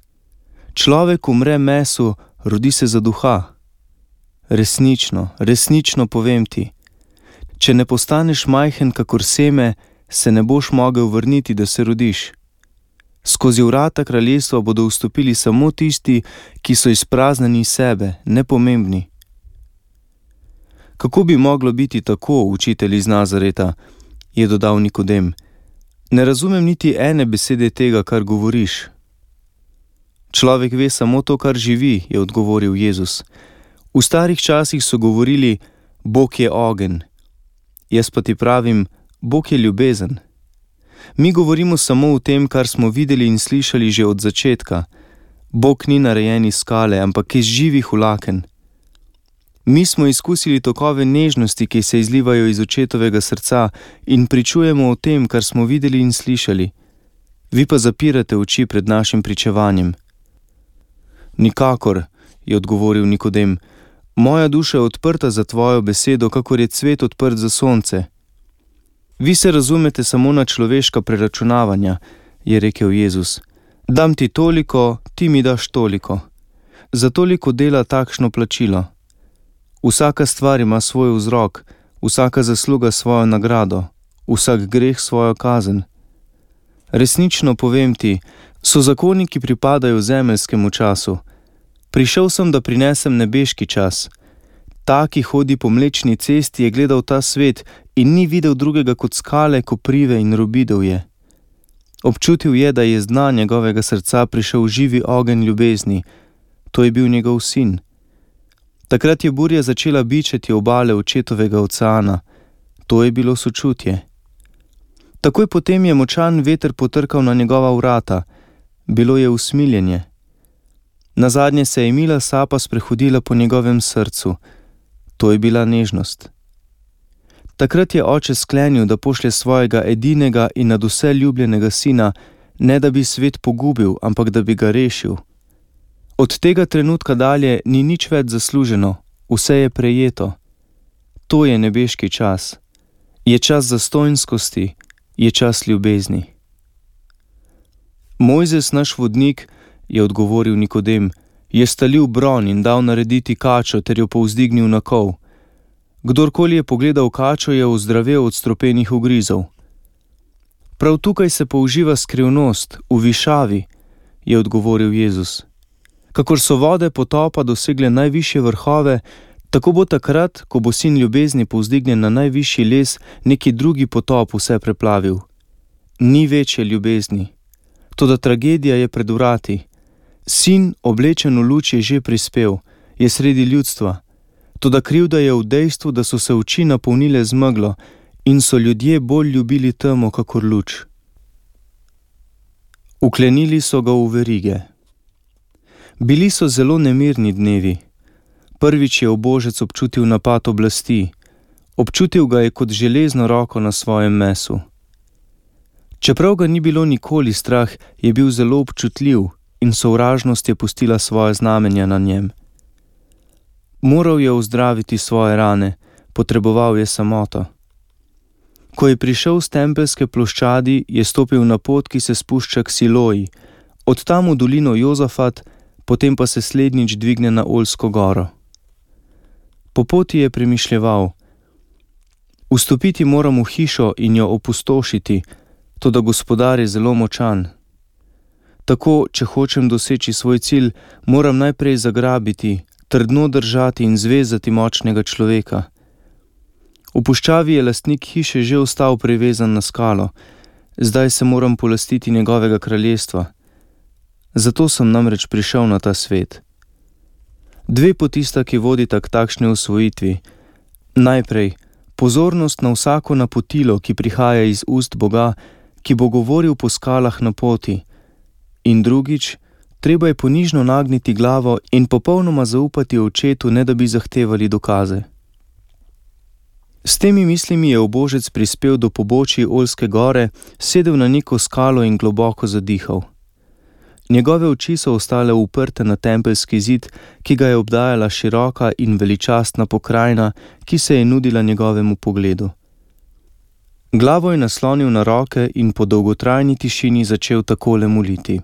Človek umre mesu, rodi se za duha. Resnično povem ti. Če ne postaneš majhen kakor seme, se ne boš mogel vrniti, da se rodiš. Skozi vrata kraljestva bodo vstopili samo tisti, ki so izpraznjeni sebe, nepomembni. Kako bi moglo biti tako, učitelj iz Nazareta, je dodal Nikodem. Ne razumem niti ene besede tega, kar govoriš. Človek ve samo to, kar živi, je odgovoril Jezus. V starih časih so govorili, Bog je ogenj. Jaz pa ti pravim, Bog je ljubezen. Mi govorimo samo o tem, kar smo videli in slišali že od začetka. Bog ni narejen iz skale, ampak iz živih vlaken. Mi smo izkusili tokove nežnosti, ki se izlivajo iz očetovega srca in pričujemo o tem, kar smo videli in slišali. Vi pa zapirate oči pred našim pričevanjem. Nikakor, je odgovoril Nikodem, moja duša je odprta za tvojo besedo, kakor je cvet odprt za sonce. Vi se razumete samo na človeška preračunavanja, je rekel Jezus. Dam ti toliko, ti mi daš toliko. Za toliko dela takšno plačilo. Vsaka stvar ima svoj vzrok, vsaka zasluga svojo nagrado, vsak greh svojo kazen. Resnično povem ti, so zakoni, ki pripadajo zemeljskemu času. Prišel sem, da prinesem nebeški čas. Ta, ki hodi po Mlečni cesti, je gledal ta svet in ni videl drugega kot skale, koprive in robidov je. Občutil je, da je z dna njegovega srca prišel živi ogenj ljubezni. To je bil njegov sin. Takrat je burja začela bičati obale očetovega oceana. To je bilo sočutje. Takoj potem je močan veter potrkal na njegova vrata. Bilo je usmiljenje. Nazadnje se je mila sapa sprehodila po njegovem srcu. To je bila nežnost. Takrat je oče sklenil, da pošlje svojega edinega in nadvse ljubljenega sina, ne da bi svet pogubil, ampak da bi ga rešil. Od tega trenutka dalje ni nič več zasluženo, vse je prejeto. To je nebeški čas. Je čas zastonjskosti, je čas ljubezni. Mojzes, naš vodnik, je odgovoril Nikodem, je stalil bron in dal narediti kačo ter jo povzdignil na kol. Kdorkoli je pogledal kačo, je ozdravel od stropenih ugrizov. Prav tukaj se použiva skrivnost, v višavi, je odgovoril Jezus. Kakor so vode potopa dosegle najvišje vrhove, tako bo takrat, ko bo sin ljubezni povzdignjen na najvišji les, neki drugi potop vse preplavil. Ni večje ljubezni. Toda tragedija je pred vrati. Sin, oblečen v luč, je že prispel, je sredi ljudstva. Toda krivda je v dejstvu, da so se oči napolnile z meglo in so ljudje bolj ljubili temo kakor luč. Uklenili so ga v verige. Bili so zelo nemirni dnevi. Prvič je ubožec občutil napad oblasti. Občutil ga je kot železno roko na svojem mesu. Čeprav ga ni bilo nikoli strah, je bil zelo občutljiv in sovražnost je pustila svoje znamenja na njem. Moral je ozdraviti svoje rane, potreboval je samoto. Ko je prišel z tempelske ploščadi, je stopil na pot, ki se spušča k Siloji, od tam v dolino Jozafat, potem pa se slednjič dvigne na Oljsko goro. Po poti je premišljeval: vstopiti moram v hišo in jo opustošiti, toda Gospodar je zelo močan. Tako, če hočem doseči svoj cilj, moram najprej zagrabiti, trdno držati in zvezati močnega človeka. V puščavi je lastnik hiše že ostal privezan na skalo, zdaj se moram polastiti njegovega kraljestva. Zato sem namreč prišel na ta svet. Dve poti sta, ki vodita k takšni osvojitvi. Najprej, pozornost na vsako napotilo, ki prihaja iz ust Boga, ki bo govoril po skalah na poti. In drugič, treba je ponižno nagniti glavo in popolnoma zaupati očetu, ne da bi zahtevali dokaze. S temi mislimi je ubožec prispel do pobočij Oljske gore, sedel na neko skalo in globoko zadihal. Njegove oči so ostale uprte na tempelski zid, ki ga je obdajala široka in veličastna pokrajina, ki se je nudila njegovemu pogledu. Glavo je naslonil na roke in po dolgotrajni tišini začel takole moliti.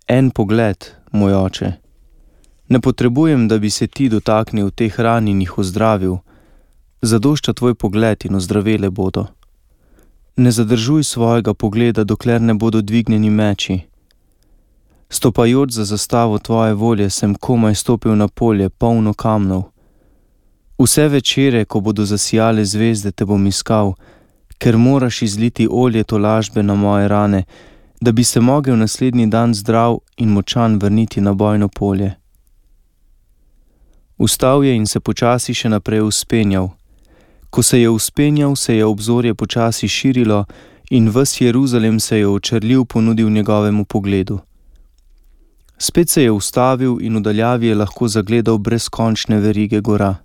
En pogled, moj oče. Ne potrebujem, da bi se ti dotaknil teh ran in jih ozdravil. Zadošča tvoj pogled in ozdravele bodo. Ne zadržuj svojega pogleda, dokler ne bodo dvignjeni meči. Stopajoč za zastavo tvoje volje, sem komaj stopil na polje, polno kamnov. Vse večere, ko bodo zasijale zvezde, te bom iskal, ker moraš izliti olje tolažbe na moje rane, da bi se mogel naslednji dan zdrav in močan vrniti na bojno polje. Vstal je in se počasi še naprej vzpenjal. Ko se je vzpenjal, se je obzorje počasi širilo in ves Jeruzalem se je očrljiv ponudil njegovemu pogledu. Spet se je ustavil in v daljavi je lahko zagledal brezkončne verige gora.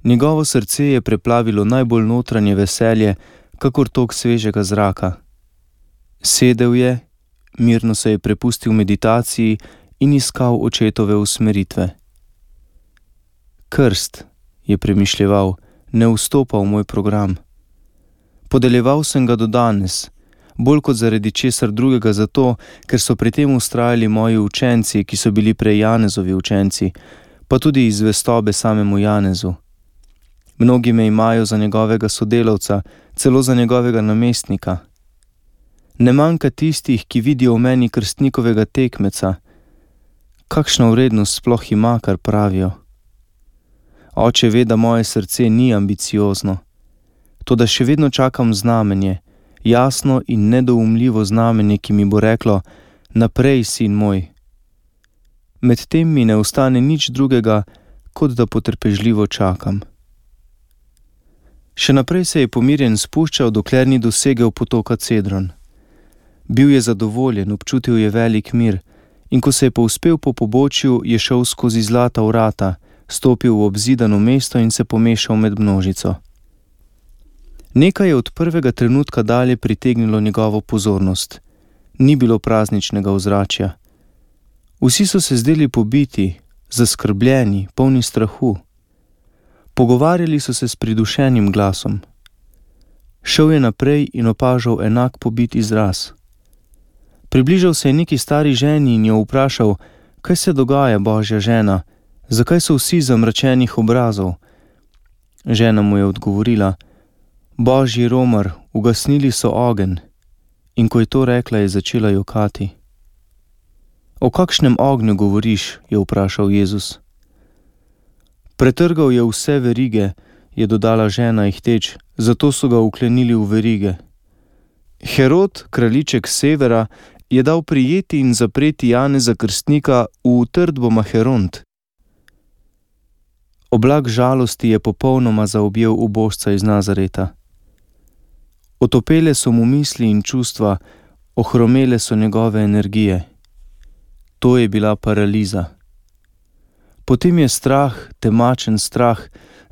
Njegovo srce je preplavilo najbolj notranje veselje, kakor tok svežega zraka. Sedel je, mirno se je prepustil meditaciji in iskal očetove usmeritve. Krst, je premišljeval, ne vstopa v moj program. Podeljeval sem ga do danes, bolj kot zaradi česar drugega zato, ker so pri tem vztrajali moji učenci, ki so bili prej Janezovi učenci, pa tudi iz zvestobe samemu Janezu. Mnogi me imajo za njegovega sodelavca, celo za njegovega namestnika. Ne manjka tistih, ki vidijo v meni krstnikovega tekmeca. Kakšna vrednost sploh ima, kar pravijo? Oče ve, da moje srce ni ambiciozno, toda še vedno čakam znamenje, jasno in nedoumljivo znamenje, ki mi bo reklo: naprej, sin moj. Medtem mi ne ostane nič drugega, kot da potrpežljivo čakam. Še naprej se je pomirjen spuščal, dokler ni dosegel potoka Cedron. Bil je zadovoljen, občutil je velik mir in ko se je povzpel po pobočju, je šel skozi zlata vrata, stopil v obzidano mesto in se pomešal med množico. Nekaj je od prvega trenutka dalje pritegnilo njegovo pozornost. Ni bilo prazničnega ozračja. Vsi so se zdeli pobiti, zaskrbljeni, polni strahu. Pogovarjali so se s pridušenim glasom. Šel je naprej in opažal enak pobit izraz. Približal se je neki stari ženi in jo vprašal, kaj se dogaja, Božja žena, zakaj so vsi zamračenih obrazov? Žena mu je odgovorila, Božji romar, ugasnili so ogenj. In ko je to rekla, je začela jokati. O kakšnem ognju govoriš, je vprašal Jezus. Pretrgal je vse verige, je dodala žena ihteč, zato so ga vklenili v verige. Herod, kraljiček severa, je dal prijeti in zapreti Janeza Krstnika v utrdbo Maheront. Oblak žalosti je popolnoma zaobjel ubožca iz Nazareta. Otopele so mu misli in čustva, ohromele so njegove energije. To je bila paraliza. Potem je strah, temačen strah,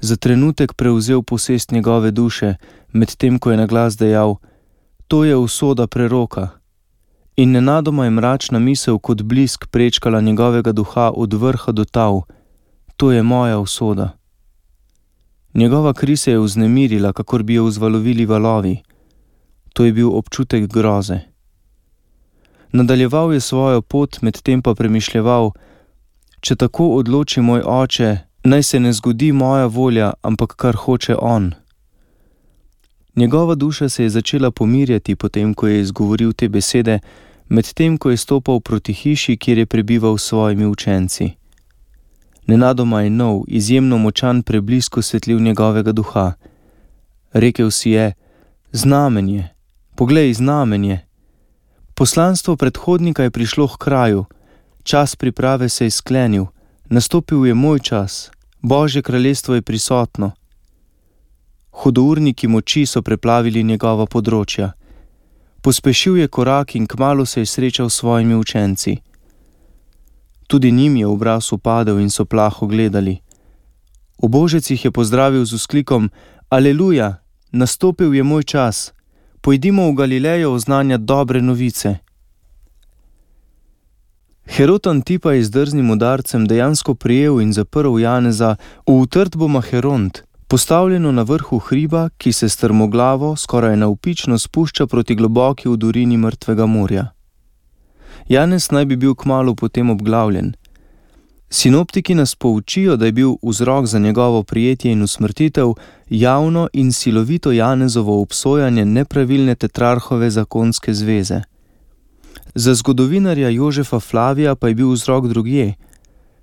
za trenutek prevzel posest njegove duše, medtem ko je naglas dejal, to je usoda preroka. In nenadoma je mračna misel kot blisk prečkala njegovega duha od vrha do tal, to je moja usoda. Njegova kri se je vznemirila, kakor bi jo vzvalovili valovi. To je bil občutek groze. Nadaljeval je svojo pot, medtem pa premišljeval, če tako odloči moj oče, naj se ne zgodi moja volja, ampak kar hoče on. Njegova duša se je začela pomirjati potem, ko je izgovoril te besede, medtem ko je stopal proti hiši, kjer je prebival s svojimi učenci. Nenadoma je nov, izjemno močan preblisk osvetlil njegovega duha. Rekel si je, znamenje, poglej, znamenje. Poslanstvo predhodnika je prišlo k kraju, čas priprave se je sklenil, nastopil je moj čas, Božje kraljestvo je prisotno. Hudourniki moči so preplavili njegova področja. Pospešil je korak in kmalu se je srečal s svojimi učenci. Tudi njim je obraz upadel in so plaho gledali. Ubožec jih je pozdravil z vzklikom, Aleluja, nastopil je moj čas, pojdimo v Galilejo oznanjati dobre novice. Herod Antipa je z drznim udarcem dejansko prijel in zaprl Janeza v utrdbo Maheront, postavljeno na vrhu hriba, ki se strmoglavo, skoraj navpično spušča proti globoki udorini mrtvega morja. Janez naj bi bil kmalu potem obglavljen. Sinoptiki nas poučijo, da je bil vzrok za njegovo prijetje in usmrtitev javno in silovito Janezovo obsojanje nepravilne tetrarhove zakonske zveze. Za zgodovinarja Jožefa Flavija pa je bil vzrok drugje.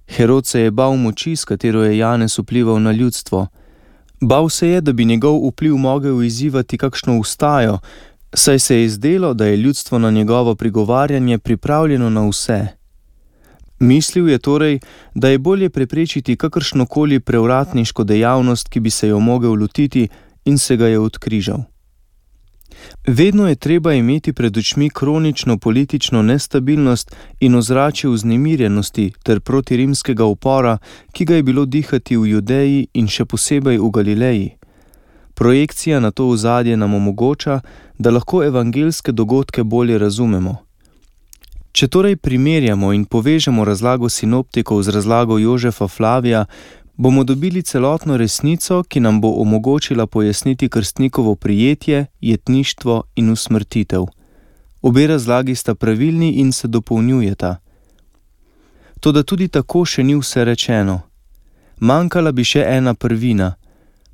Herod se je bal moči, s katero je Janez vplival na ljudstvo. Bal se je, da bi njegov vpliv mogel izzivati kakšno ustajo, saj se je zdelo, da je ljudstvo na njegovo prigovarjanje pripravljeno na vse. Mislil je torej, da je bolje preprečiti kakršnokoli prevratniško dejavnost, ki bi se jo mogel lotiti, in se ga je odkrižal. Vedno je treba imeti pred očmi kronično politično nestabilnost in ozračje vznemirjenosti ter protirimskega upora, ki ga je bilo dihati v Judeji in še posebej v Galileji. Projekcija na to ozadje nam omogoča, da lahko evangeljske dogodke bolje razumemo. Če torej primerjamo in povežemo razlago sinoptikov z razlago Jožefa Flavija, bomo dobili celotno resnico, ki nam bo omogočila pojasniti krstnikovo prijetje, jetništvo in usmrtitev. Obe razlagi sta pravilni in se dopolnjujeta. Toda tudi tako še ni vse rečeno. Manjkala bi še ena prvina,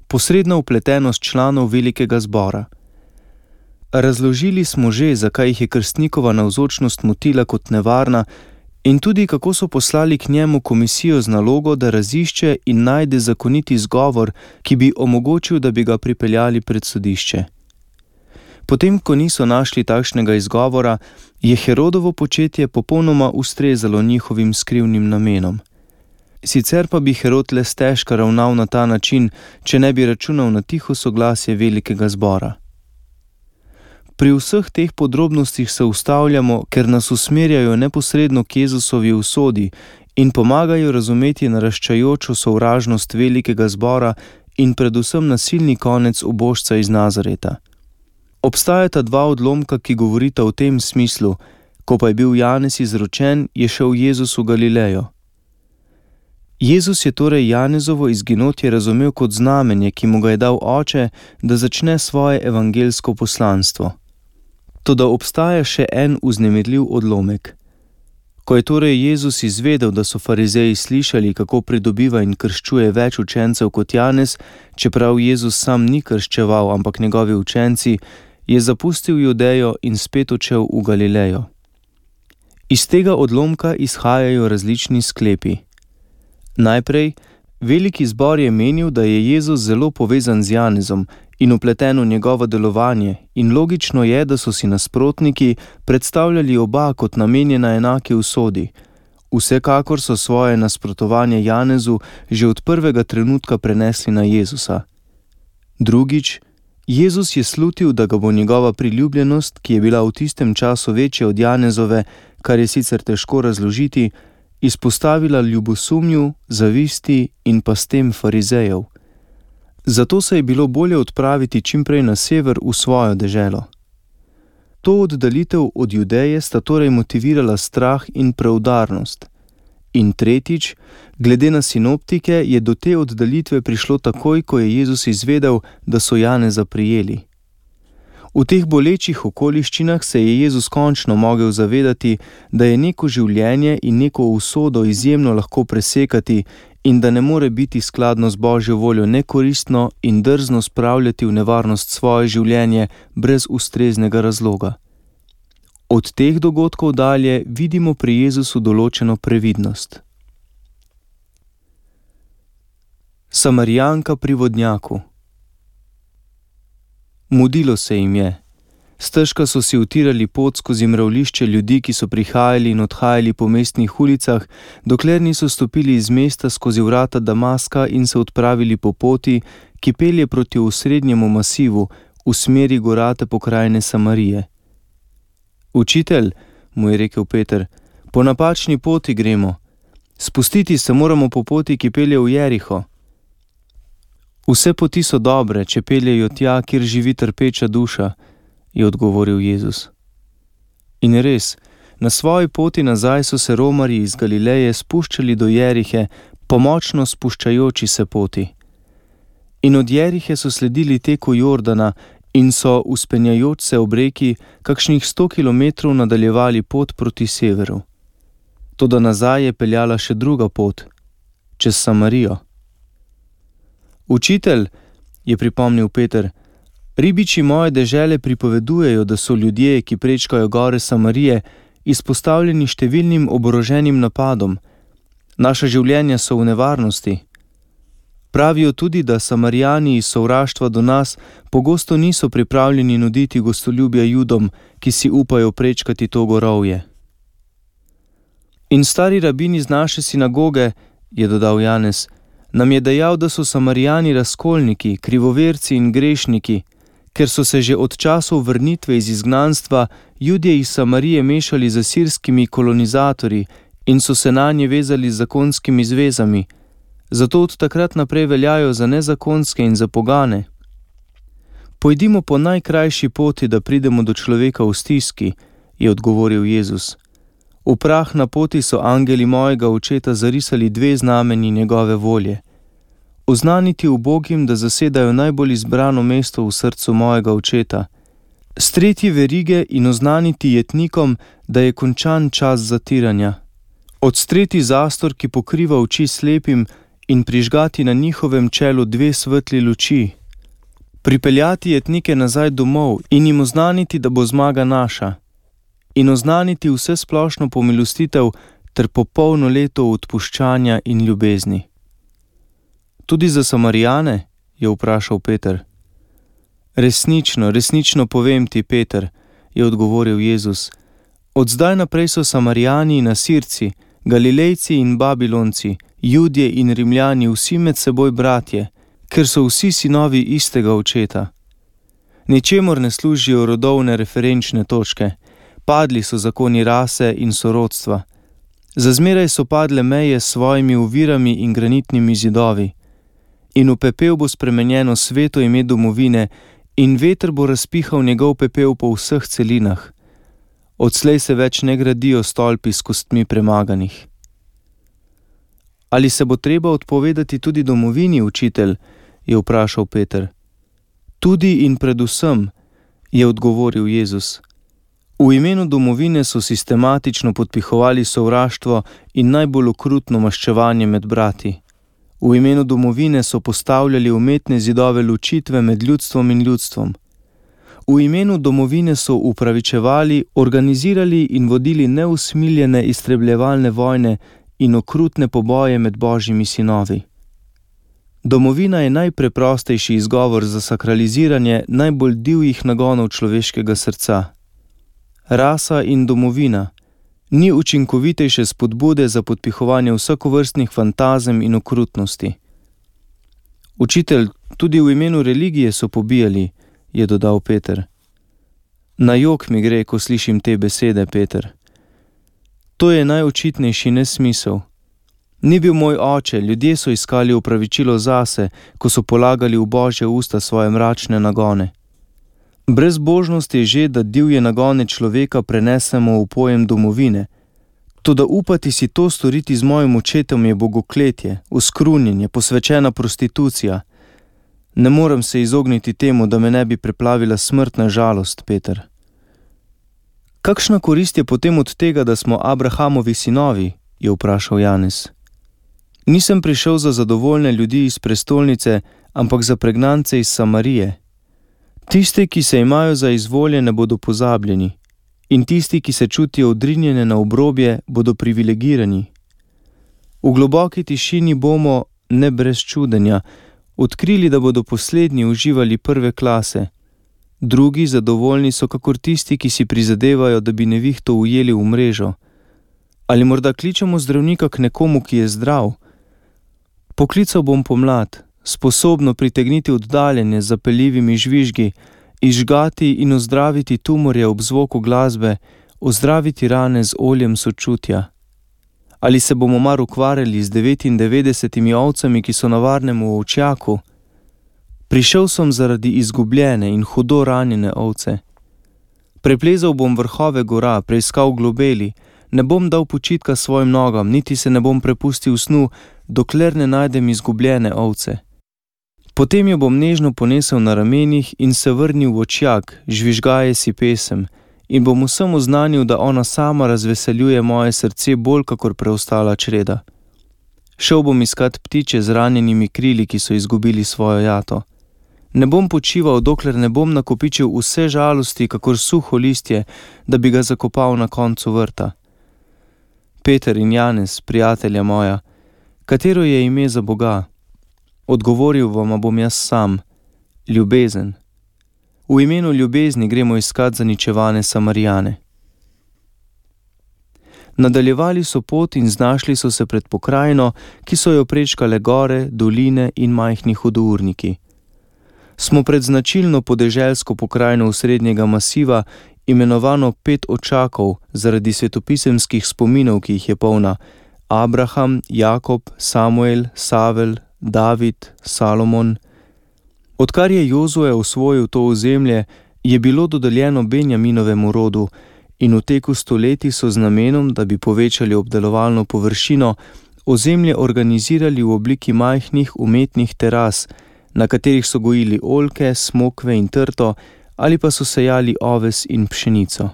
posredna vpletenost članov velikega zbora. Razložili smo že, zakaj jih je krstnikova navzočnost motila kot nevarna in tudi kako so poslali k njemu komisijo z nalogo, da razišče in najde zakoniti izgovor, ki bi omogočil, da bi ga pripeljali pred sodišče. Potem, ko niso našli takšnega izgovora, je Herodovo početje popolnoma ustrezalo njihovim skrivnim namenom. Sicer pa bi Herod le stežka ravnal na ta način, če ne bi računal na tiho soglasje velikega zbora. Pri vseh teh podrobnostih se ustavljamo, ker nas usmerjajo neposredno k Jezusovi usodi in pomagajo razumeti naraščajočo sovražnost velikega zbora in predvsem nasilni konec ubožca iz Nazareta. Obstajata dva odlomka, ki govorita o tem smislu: ko pa je bil Janez izročen, je šel Jezus v Galilejo. Jezus je torej Janezovo izginotje razumel kot znamenje, ki mu ga je dal Oče, da začne svoje evangelsko poslanstvo. Toda obstaja še en vznemirljiv odlomek. Ko je torej Jezus izvedel, da so farizeji slišali, kako pridobiva in krščuje več učencev kot Janez, čeprav Jezus sam ni krščeval, ampak njegovi učenci, je zapustil Judejo in spet odšel v Galilejo. Iz tega odlomka izhajajo različni sklepi. Najprej, veliki zbor je menil, da je Jezus zelo povezan z Janezom in vpleten v njegovo delovanje, in logično je, da so si nasprotniki predstavljali oba kot namenjena enaki usodi. Vsekakor so svoje nasprotovanje Janezu že od prvega trenutka prenesli na Jezusa. Drugič, Jezus je slutil, da ga bo njegova priljubljenost, ki je bila v tistem času večja od Janezove, kar je sicer težko razložiti, izpostavila ljubosumju, zavisti in pa s tem farizejev. Zato se je bilo bolje odpraviti čimprej na sever v svojo deželo. To oddalitev od Judeje sta torej motivirala strah in preudarnost. In tretjič, glede na sinoptike, je do te oddalitve prišlo takoj, ko je Jezus izvedel, da so Janeza prijeli. V teh bolečih okoliščinah se je Jezus končno mogel zavedati, da je neko življenje in neko usodo izjemno lahko presekati in da ne more biti skladno z Božjo voljo nekoristno in drzno spravljati v nevarnost svoje življenje brez ustreznega razloga. Od teh dogodkov dalje vidimo pri Jezusu določeno previdnost. Samarijanka pri vodnjaku. Mudilo se jim je. Stežka so si utirali pot skozi mravljišče ljudi, ki so prihajali in odhajali po mestnih ulicah, dokler niso stopili iz mesta skozi vrata Damaska in se odpravili po poti, ki pelje proti osrednjemu masivu, v smeri gorate pokrajine Samarije. Učitelj, mu je rekel Peter, po napačni poti gremo. Spustiti se moramo po poti, ki pelje v Jeriho. Vse poti so dobre, če peljejo tja, kjer živi trpeča duša, je odgovoril Jezus. In res, na svoji poti nazaj so se romarji iz Galileje spuščali do Jerihe po močno spuščajoči se poti. In od Jerihe so sledili teku Jordana in so, vzpenjajoč se ob reki, kakšnih 100 kilometrov nadaljevali pot proti severu. Toda nazaj je peljala še druga pot, čez Samarijo. Učitelj, je pripomnil Peter, ribiči moje dežele pripovedujejo, da so ljudje, ki prečkajo gore Samarije, izpostavljeni številnim oboroženim napadom. Naša življenja so v nevarnosti. Pravijo tudi, da Samarijani iz sovraštva do nas pogosto niso pripravljeni nuditi gostoljubja Judom, ki si upajo prečkati to gorovje. In stari rabin iz naše sinagoge, je dodal Janez, nam je dejal, da so Samarijani razkolniki, krivoverci in grešniki, ker so se že od časov vrnitve iz izgnanstva Judje iz Samarije mešali z asirskimi kolonizatorji in so se nanje vezali z zakonskimi zvezami, zato od takrat naprej veljajo za nezakonske in za pogane. Pojdimo po najkrajši poti, da pridemo do človeka v stiski, je odgovoril Jezus. V prah na poti so angeli mojega očeta zarisali 2 znamenji njegove volje. Oznaniti ubogim, da zasedajo najbolj izbrano mesto v srcu mojega očeta. Streti verige in oznaniti jetnikom, da je končan čas zatiranja. Odstreti zastor, ki pokriva oči slepim, in prižgati na njihovem čelu 2 svetli luči. Pripeljati jetnike nazaj domov in jim oznaniti, da bo zmaga naša. In oznaniti vse splošno pomilostitev ter popolno leto odpuščanja in ljubezni. Tudi za Samarijane, je vprašal Peter. Resnično povem ti, Peter, je odgovoril Jezus. Od zdaj naprej so Samarijani in Asirci, Galilejci in Babilonci, Judje in Rimljani vsi med seboj bratje, ker so vsi sinovi istega očeta. Ničemur ne služijo rodovne referenčne točke, padli so zakoni rase in sorodstva. Zazmeraj so padle meje s svojimi ovirami in granitnimi zidovi. In v pepel bo spremenjeno sveto ime domovine in veter bo razpihal njegov pepel po vseh celinah. Odslej se več ne gradijo stolpi s kostmi premaganih. Ali se bo treba odpovedati tudi domovini, učitelj? Je vprašal Peter. Tudi in predvsem, je odgovoril Jezus. V imenu domovine so sistematično podpihovali sovraštvo in najbolj okrutno maščevanje med brati. V imenu domovine so postavljali umetne zidove ločitve med ljudstvom in ljudstvom. V imenu domovine so upravičevali, organizirali in vodili neusmiljene iztrebljevalne vojne in okrutne poboje med Božjimi sinovi. Domovina je najpreprostejši izgovor za sakraliziranje najbolj divjih nagonov človeškega srca. Rasa in domovina ni učinkovitejše spodbude za podpihovanje vsakovrstnih fantazem in okrutnosti. Učitelj, tudi v imenu religije so pobijali, je dodal Peter. Na jok mi gre, ko slišim te besede, Peter. To je najočitnejši nesmisel. Ni bil moj oče, ljudje so iskali opravičilo zase, ko so polagali v Božje usta svoje mračne nagone. Brezbožnost je že, da divje nagone človeka prenesemo v pojem domovine. Toda upati si to storiti z mojim očetom je bogokletje, uskrunjenje, posvečena prostitucija. Ne morem se izogniti temu, da me ne bi preplavila smrtna žalost, Peter. Kakšna korist je potem od tega, da smo Abrahamovi sinovi? Je vprašal Janez. Nisem prišel za zadovoljne ljudi iz prestolnice, ampak za pregnance iz Samarije. Tisti, ki se imajo za izvoljene, bodo pozabljeni, in tisti, ki se čutijo odrinjene na obrobje, bodo privilegirani. V globoki tišini bomo, ne brez čudenja, odkrili, da bodo poslednji uživali prve klase. Drugi zadovoljni so kakor tisti, ki si prizadevajo, da bi nevihto ujeli v mrežo. Ali morda kličemo zdravnika k nekomu, ki je zdrav? Poklical bom pomlad, sposobno pritegniti oddaljenje z zapeljivimi žvižgi, izžgati in ozdraviti tumorje ob zvoku glasbe, ozdraviti rane z oljem sočutja. Ali se bomo mar ukvarjali z 99 ovcami, ki so na varnem v ovčjaku? Prišel sem zaradi izgubljene in hudo ranjene ovce. Preplezal bom vrhove gora, preiskal globeli, ne bom dal počitka svojim nogam, niti se ne bom prepustil snu, dokler ne najdem izgubljene ovce. Potem jo bom nežno ponesel na ramenih in se vrnil v očjak, žvižgaje si pesem, in bom vsem oznanil, da ona sama razveseljuje moje srce bolj kakor preostala čreda. Šel bom iskat ptiče z ranjenimi krili, ki so izgubili svojo jato. Ne bom počival, dokler ne bom nakopičil vse žalosti, kakor suho listje, da bi ga zakopal na koncu vrta. Peter in Janez, prijatelja moja, katero je ime za Boga? Odgovoril vam bom jaz sam, ljubezen. V imenu ljubezni gremo iskat zaničevane Samarijane. Nadaljevali so pot in znašli so se pred pokrajino, ki so jo prečkale gore, doline in majhni hudourniki. Smo pred značilno podeželsko pokrajino osrednjega masiva, imenovano Pet očakov, zaradi svetopisemskih spominov, ki jih je polna: Abraham, Jakob, Samuel, Savel, David, Salomon. Odkar je Jozue osvojil to ozemlje, je bilo dodeljeno Benjaminovemu rodu in v teku stoletij so z namenom, da bi povečali obdelovalno površino, ozemlje organizirali v obliki majhnih umetnih teras, na katerih so gojili oljke, smokve in trto, ali pa so sejali oves in pšenico.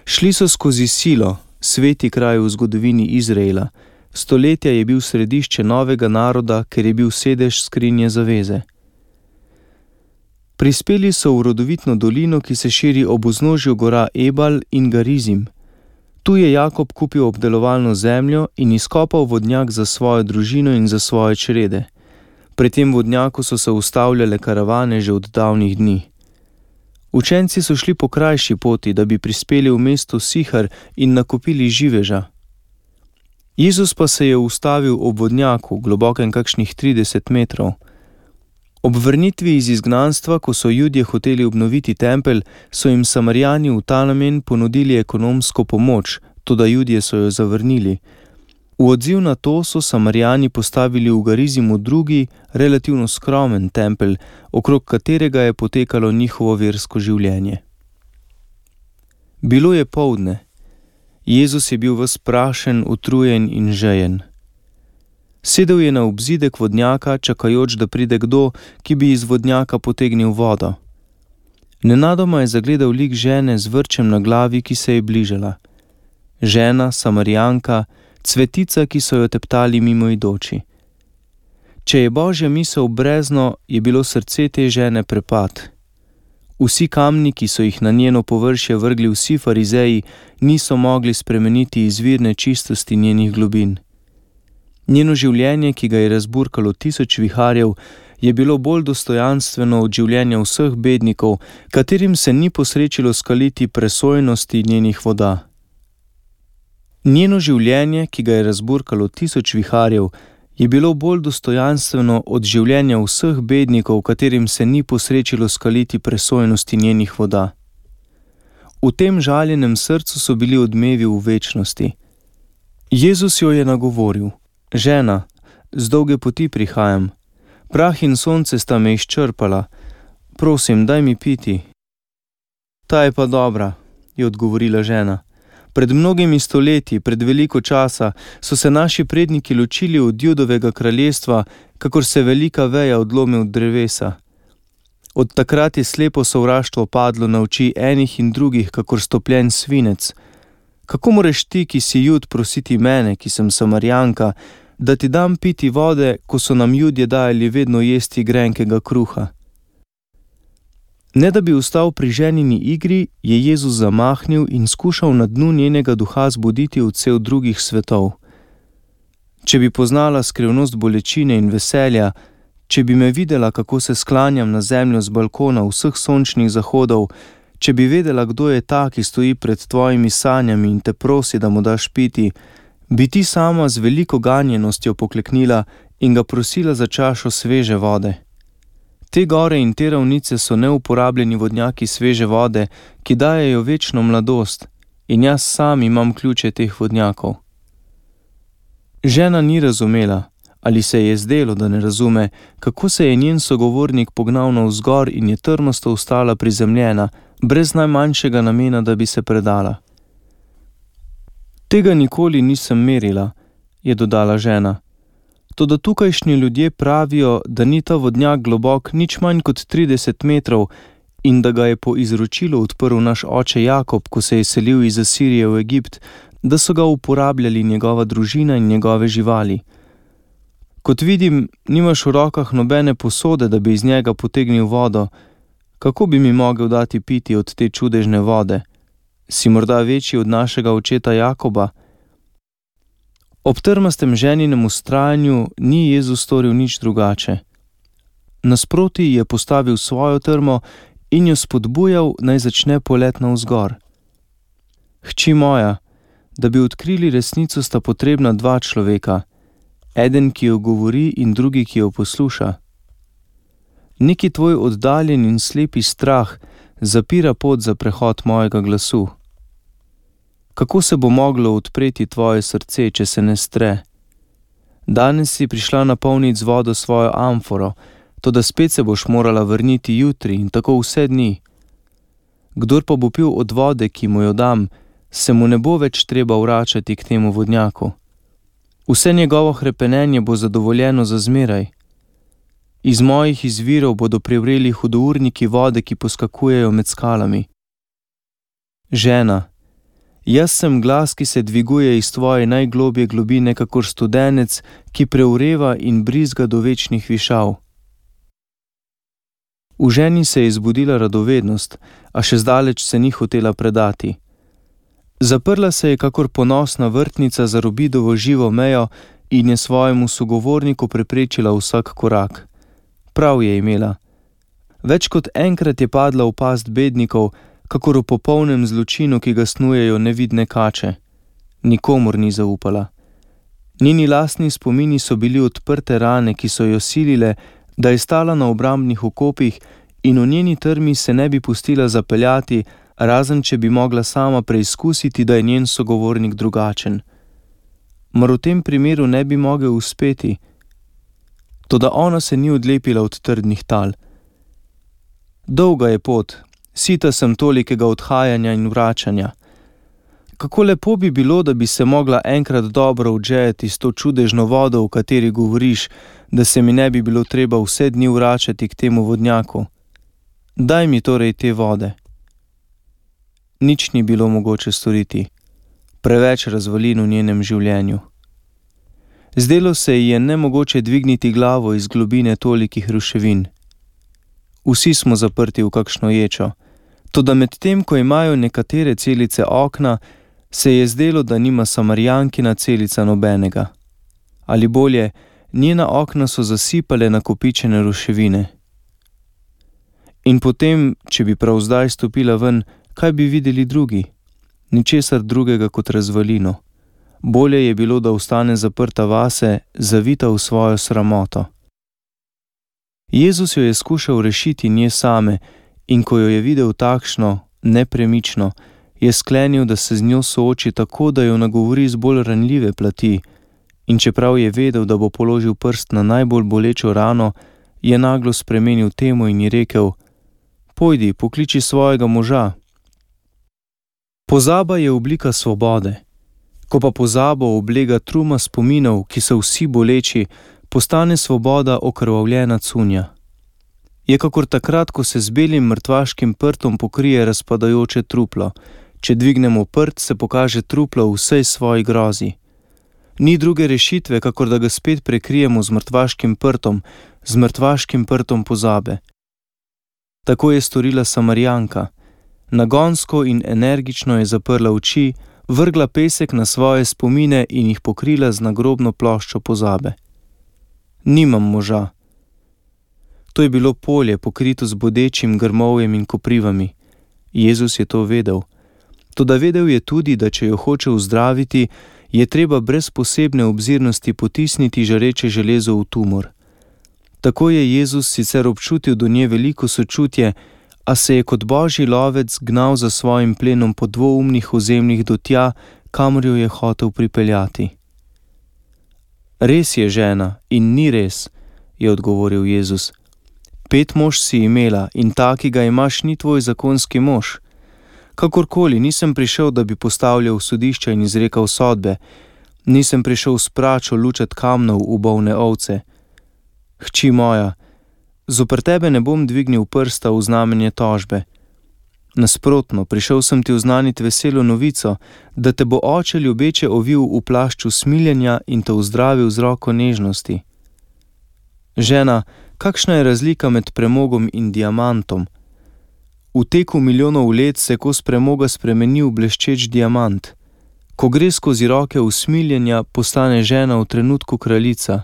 Šli so skozi Silo, sveti kraj v zgodovini Izraela. Stoletja je bil središče novega naroda, ker je bil sedež skrinje zaveze. Prispeli so v rodovitno dolino, ki se širi ob vznožju gora Ebal in Garizim. Tu je Jakob kupil obdelovalno zemljo in izkopal vodnjak za svojo družino in za svoje črede. Pri tem vodnjaku so se ustavljale karavane že od davnih dni. Učenci so šli po krajši poti, da bi prispeli v mesto Sihar in nakupili živeža. Jezus pa se je ustavil ob vodnjaku, globokem kakšnih 30 metrov. Ob vrnitvi iz izgnanstva, ko so Judje hoteli obnoviti tempelj, so jim Samarijani v ta namen ponudili ekonomsko pomoč, toda Judje so jo zavrnili. V odziv na to so Samarijani postavili v Garizimu drugi, relativno skromen tempelj, okrog katerega je potekalo njihovo versko življenje. Bilo je poldne. Jezus je bil ves prašen, utrujen in žejen. Sedel je na obzidek vodnjaka, čakajoč, da pride kdo, ki bi iz vodnjaka potegnil vodo. Nenadoma je zagledal lik žene z vrčem na glavi, ki se je bližala. Žena, Samarijanka, cvetica, ki so jo teptali mimoidoči. Če je Božja misel brezno, je bilo srce te žene prepad. Vsi kamni, ki so jih na njeno površje vrgli vsi farizeji, niso mogli spremeniti izvirne čistosti njenih globin. Njeno življenje, ki ga je razburkalo 1000 viharjev, je bilo bolj dostojanstveno od življenja vseh bednikov, katerim se ni posrečilo skaliti presojnosti njenih voda. Njeno življenje, ki ga je razburkalo 1000 viharjev, je bilo bolj dostojanstveno od življenja vseh bednikov, katerim se ni posrečilo skaliti presojnosti njenih voda. V tem žaljenem srcu so bili odmevi v večnosti. Jezus jo je nagovoril: Žena, z dolge poti prihajam. Prah in sonce sta me izčrpala. Prosim, daj mi piti. Ta je pa dobra, je odgovorila žena. Pred mnogimi stoletji, pred veliko časa, so se naši predniki ločili od Judovega kraljestva, kakor se velika veja odlomi od drevesa. Od takrat je slepo sovraštvo padlo na oči enih in drugih, kakor stopljen svinec. Kako moreš ti, ki si Jud, prositi mene, ki sem Samarijanka, da ti dam piti vode, ko so nam Judje dajali vedno jesti grenkega kruha? Ne da bi ostal pri ženini igri, je Jezus zamahnil in skušal na dnu njenega duha zbuditi odsev drugih svetov. Če bi poznala skrivnost bolečine in veselja, če bi me videla, kako se sklanjam na zemljo z balkona vseh sončnih zahodov, če bi vedela, kdo je ta, ki stoji pred tvojimi sanjami in te prosi, da mu daš piti, bi ti sama z veliko ganjenostjo pokleknila in ga prosila za čašo sveže vode. Te gore in te ravnice so neuporabljeni vodnjaki sveže vode, ki dajejo večno mladost, in jaz sam imam ključe teh vodnjakov. Žena ni razumela, ali se je zdelo, da ne razume, kako se je njen sogovornik pognal navzgor in je trmasto ostala prizemljena, brez najmanjšega namena, da bi se predala. Tega nikoli nisem merila, je dodala žena. Toda tukajšnji ljudje pravijo, da ni ta vodnjak globok nič manj kot 30 metrov in da ga je po izročilu odprl naš oče Jakob, ko se je selil iz Asirije v Egipt, da so ga uporabljali njegova družina in njegove živali. Kot vidim, nimaš v rokah nobene posode, da bi iz njega potegnil vodo. Kako bi mi mogel dati piti od te čudežne vode? Si morda večji od našega očeta Jakoba? Ob trmastem ženinem vztrajanju ni Jezus storil nič drugače. Nasproti je postavil svojo trmo in jo spodbujal, naj začne polet navzgor. Hči moja, da bi odkrili resnico, sta potrebna dva človeka, eden, ki jo govori, in drugi, ki jo posluša. Neki tvoj oddaljen in slepi strah zapira pot za prehod mojega glasu. Kako se bo moglo odpreti tvoje srce, če se ne stre? Danes si prišla napolniti z vodo svojo amforo, toda spet se boš morala vrniti jutri in tako vse dni. Kdor pa bo pil od vode, ki mu jo dam, se mu ne bo več treba vračati k temu vodnjaku. Vse njegovo hrepenenje bo zadovoljeno za zmeraj. Iz mojih izvirov bodo privreli hudourniki vode, ki poskakujejo med skalami. Žena, jaz sem glas, ki se dviguje iz tvoje najglobje globine, kakor studenec, ki preureva in brizga do večnih višav. V ženi se je zbudila radovednost, a še zdaleč se ni hotela predati. Zaprla se je kakor ponosna vrtnica za Robidovo živo mejo in je svojemu sogovorniku preprečila vsak korak. Prav je imela. Več kot enkrat je padla v past bednikov, kakor v popolnem zločinu, ki ga snujejo nevidne kače. Nikomur ni zaupala. Njeni lastni spomini so bili odprte rane, ki so jo silile, da je stala na obrambnih okopih in v njeni trmi se ne bi pustila zapeljati, razen če bi mogla sama preizkusiti, da je njen sogovornik drugačen. Mar v tem primeru ne bi mogel uspeti? Toda ona se ni odlepila od trdnih tal. Dolga je pot, sita sem tolikega odhajanja in vračanja. Kako lepo bi bilo, da bi se mogla enkrat dobro odžejati s to čudežno vodo, o kateri govoriš, da se mi ne bi bilo treba vse dni vračati k temu vodnjaku. Daj mi torej te vode. Nič ni bilo mogoče storiti. Preveč razvalin v njenem življenju. Zdelo se ji je nemogoče dvigniti glavo iz globine tolikih ruševin. Vsi smo zaprti v kakšno ječo, toda medtem, ko imajo nekatere celice okna, se je zdelo, da nima Samarijankina celica nobenega. Ali bolje, njena okna so zasipale nakopičene ruševine. In potem, če bi prav zdaj stopila ven, kaj bi videli drugi? Ničesar drugega kot razvalino. Bolje je bilo, da ostane zaprta vase, zavita v svojo sramoto. Jezus jo je skušal rešiti nje same in ko jo je videl takšno, nepremično, je sklenil, da se z njo sooči tako, da jo nagovori z bolj ranljive plati, in čeprav je vedel, da bo položil prst na najbolj bolečo rano, je naglo spremenil temo in ji rekel: Pojdi, pokliči svojega moža. Pozaba je oblika svobode. Ko pa pozabo oblega truma spominov, ki so vsi boleči, postane svoboda okrvavljena cunja. Je kakor takrat, ko se z belim mrtvaškim prtom pokrije razpadajoče truplo. Če dvignemo prt, se pokaže truplo v vsej svoji grozi. Ni druge rešitve, kakor da ga spet prekrijemo z mrtvaškim prtom pozabe. Tako je storila Samarijanka. Nagonsko in energično je zaprla oči, vrgla pesek na svoje spomine in jih pokrila z nagrobno ploščo pozabe. Nimam moža. To je bilo polje, pokrito z bodečim grmovjem in koprivami. Jezus je to vedel. Toda vedel je tudi, da če jo hoče uzdraviti, je treba brez posebne obzirnosti potisniti žareče železo v tumor. Tako je Jezus sicer občutil do nje veliko sočutje, a se je kot božji lovec gnal za svojim plenom po dvoumnih ozemljih do tja, kamor jo je hotel pripeljati. Res je, žena, in ni res, je odgovoril Jezus. 5 mož si imela in ta, ki ga imaš, ni tvoj zakonski mož. Kakorkoli, nisem prišel, da bi postavljal sodišča in izrekal sodbe. Nisem prišel s pračo lučat kamnov v bolne ovce. Hči moja, zoper tebe ne bom dvignil prsta v znamenje tožbe. Nasprotno, prišel sem ti oznaniti veselo novico, da te bo oče ljubeče ovil v plašču smiljenja in te ozdravil z roko nežnosti. Žena, kakšna je razlika med premogom in diamantom? V teku milijonov let se kos premoga spremeni v bleščeč diamant. Ko gre skozi roke usmiljenja, postane žena v trenutku kraljica.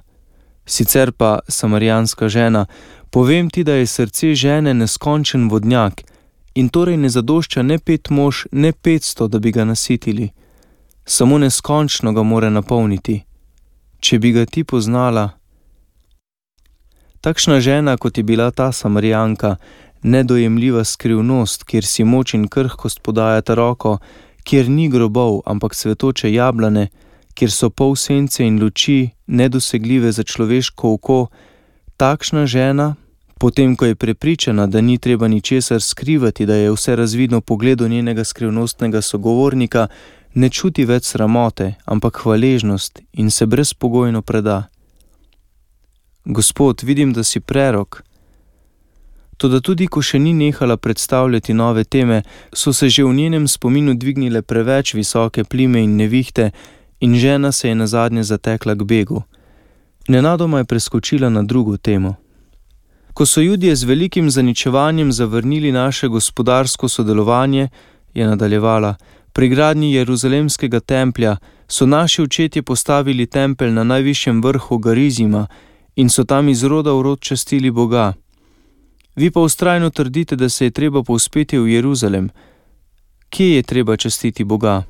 Sicer pa, samarijanska žena, povem ti, da je srce žene neskončen vodnjak in torej ne zadošča ne 5 mož, ne 500, da bi ga nasitili. Samo neskončno ga more napolniti. Če bi ga ti poznala. Takšna žena, kot je bila ta Samarijanka, nedojemljiva skrivnost, kjer si moč in krhkost podajata roko, kjer ni grobov, ampak cvetoče jablane, kjer so pol sence in luči, nedosegljive za človeško oko, takšna žena, potem ko je prepričana, da ni treba ničesar skrivati, da je vse razvidno pogledu njenega skrivnostnega sogovornika, ne čuti več sramote, ampak hvaležnost in se brezpogojno preda. Gospod, vidim, da si prerok. Toda tudi, ko še ni nehala predstavljati nove teme, so se že v njenem spominu dvignile preveč visoke plime in nevihte in žena se je nazadnje zatekla k begu. Nenadoma je preskočila na drugo temo. Ko so Judje z velikim zaničevanjem zavrnili naše gospodarsko sodelovanje, je nadaljevala, pri gradnji Jeruzalemskega templja so naši očetje postavili tempelj na najvišjem vrhu Garizima in so tam iz roda v rod častili Boga. Vi pa vztrajno trdite, da se je treba povzpeti v Jeruzalem. Kje je treba častiti Boga?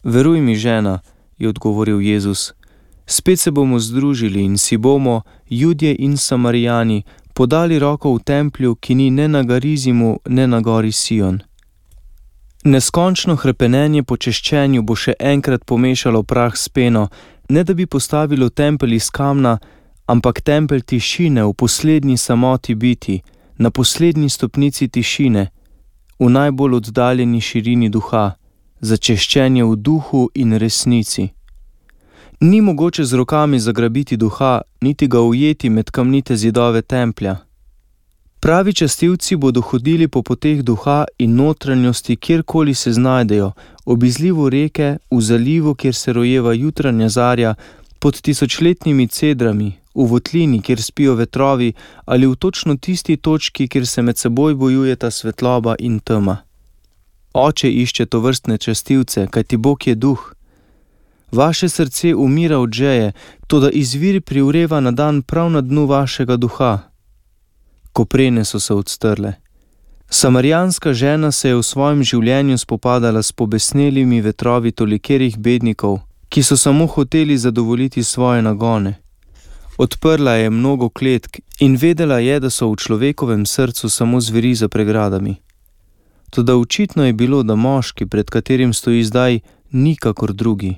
Veruj mi, žena, je odgovoril Jezus. Spet se bomo združili in si bomo, Judje in Samarijani, podali roko v templju, ki ni ne na Garizimu, ne na gori Sion. Neskončno hrepenenje po češčenju bo še enkrat pomešalo prah s peno, ne da bi postavilo tempelj iz kamna, ampak tempelj tišine v poslednji samoti biti, na poslednji stopnici tišine, v najbolj oddaljeni širini duha, za češčenje v duhu in resnici. Ni mogoče z rokami zagrabiti duha, niti ga ujeti med kamnite zidove templja. Pravi častilci bodo hodili po poteh duha in notranjosti, kjerkoli se znajdejo, ob izlivu reke, v zalivu, kjer se rojeva jutranja zarja, pod tisočletnimi cedrami, v votlini, kjer spijo vetrovi, ali v točno tisti točki, kjer se med seboj bojujeta svetloba in tema. Oče išče tovrstne častilce, kajti Bog je duh. Vaše srce umira od žeje, toda izvir privreva na dan prav na dnu vašega duha. Koprene so se odstrle. Samarijanska žena se je v svojem življenju spopadala s pobesnelimi vetrovi tolikerih bednikov, ki so samo hoteli zadovoljiti svoje nagone. Odprla je mnogo kletk in vedela je, da so v človekovem srcu samo zveri za pregradami. Toda očitno je bilo, da moški, pred katerim stoji zdaj, ni kakor drugi.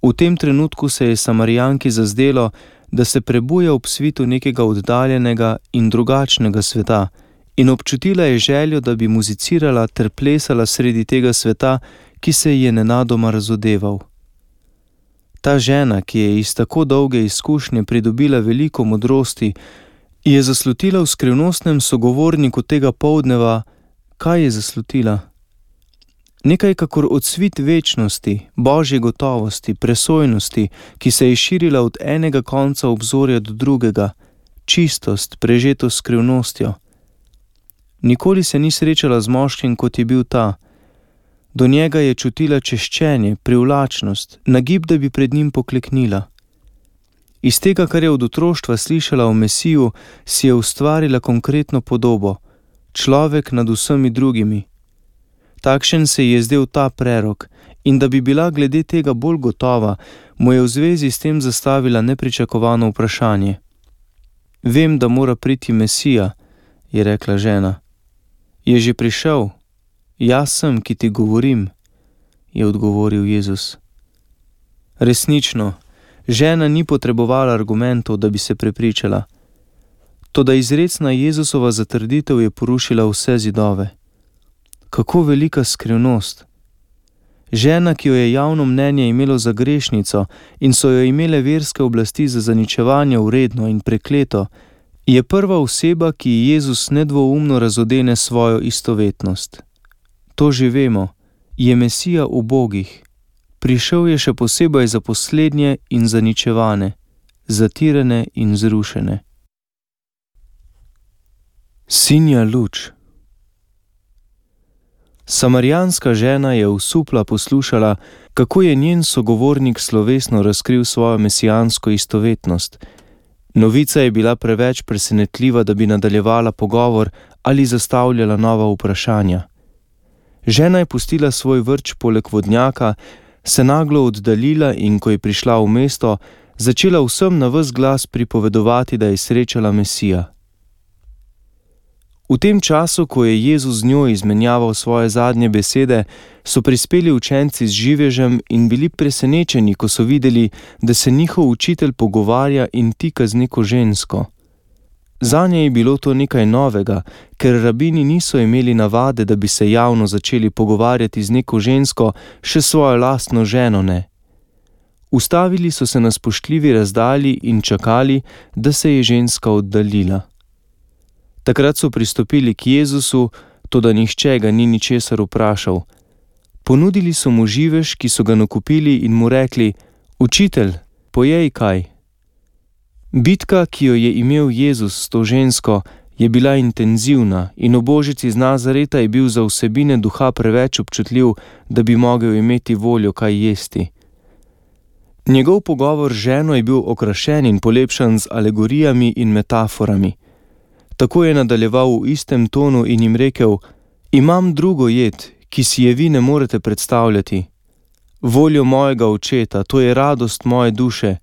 V tem trenutku se je Samarijanki zazdelo, da se prebuja ob svitu nekega oddaljenega in drugačnega sveta, in občutila je željo, da bi muzicirala ter plesala sredi tega sveta, ki se je nenadoma razodeval. Ta žena, ki je iz tako dolge izkušnje pridobila veliko modrosti, je zaslutila v skrivnostnem sogovorniku tega poldneva. Kaj je zaslutila? Nekaj kakor odsvit večnosti, božje gotovosti, presojnosti, ki se je širila od enega konca obzorja do drugega, čistost, prežeto skrivnostjo. Nikoli se ni srečala z moškim, kot je bil ta. Do njega je čutila češčenje, privlačnost, nagib, da bi pred njim pokleknila. Iz tega, kar je od otroštva slišala o Mesiju, si je ustvarila konkretno podobo, človek nad vsemi drugimi. Takšen se je zdel ta prerok, in da bi bila glede tega bolj gotova, mu je v zvezi s tem zastavila nepričakovano vprašanje. Vem, da mora priti Mesija, je rekla žena. Je že prišel? Jaz sem, ki ti govorim, je odgovoril Jezus. Resnično, žena ni potrebovala argumentov, da bi se prepričala. Toda izrecna Jezusova zatrditev je porušila vse zidove. Kako velika skrivnost! Žena, ki jo je javno mnenje imelo za grešnico in so jo imele verske oblasti za zaničevanje vredno in prekleto, je prva oseba, ki ji Jezus nedvoumno razodene svojo istovetnost. To že vemo, je Mesija ubogih. Prišel je še posebej za poslednje in zaničevane, zatirane in zrušene. Sinja luč. Samarijanska žena je osupla poslušala, kako je njen sogovornik slovesno razkril svojo mesijansko istovetnost. Novica je bila preveč presenetljiva, da bi nadaljevala pogovor ali zastavljala nova vprašanja. Žena je pustila svoj vrč poleg vodnjaka, se naglo oddaljila in ko je prišla v mesto, začela vsem na ves glas pripovedovati, da je srečala Mesija. V tem času, ko je Jezus z njo izmenjaval svoje zadnje besede, so prispeli učenci z živežem in bili presenečeni, ko so videli, da se njihov učitelj pogovarja in tika z neko žensko. Zanje je bilo to nekaj novega, ker rabini niso imeli navade, da bi se javno začeli pogovarjati z neko žensko, še svojo lastno ženo ne. Ustavili so se na spoštljivi razdalji in čakali, da se je ženska oddaljila. Takrat so pristopili k Jezusu, toda nihče ga ni ničesar vprašal. Ponudili so mu živež, ki so ga nakupili, in mu rekli: Učitelj, pojej kaj. Bitka, ki jo je imel Jezus s to žensko, je bila intenzivna in o Božici iz Nazareta je bil za vsebine duha preveč občutljiv, da bi mogel imeti voljo kaj jesti. Njegov pogovor z ženo je bil okrašen in polepšan z alegorijami in metaforami. Tako je nadaljeval v istem tonu in jim rekel: Imam drugo jed, ki si je vi ne morete predstavljati. voljo mojega očeta, to je radost moje duše,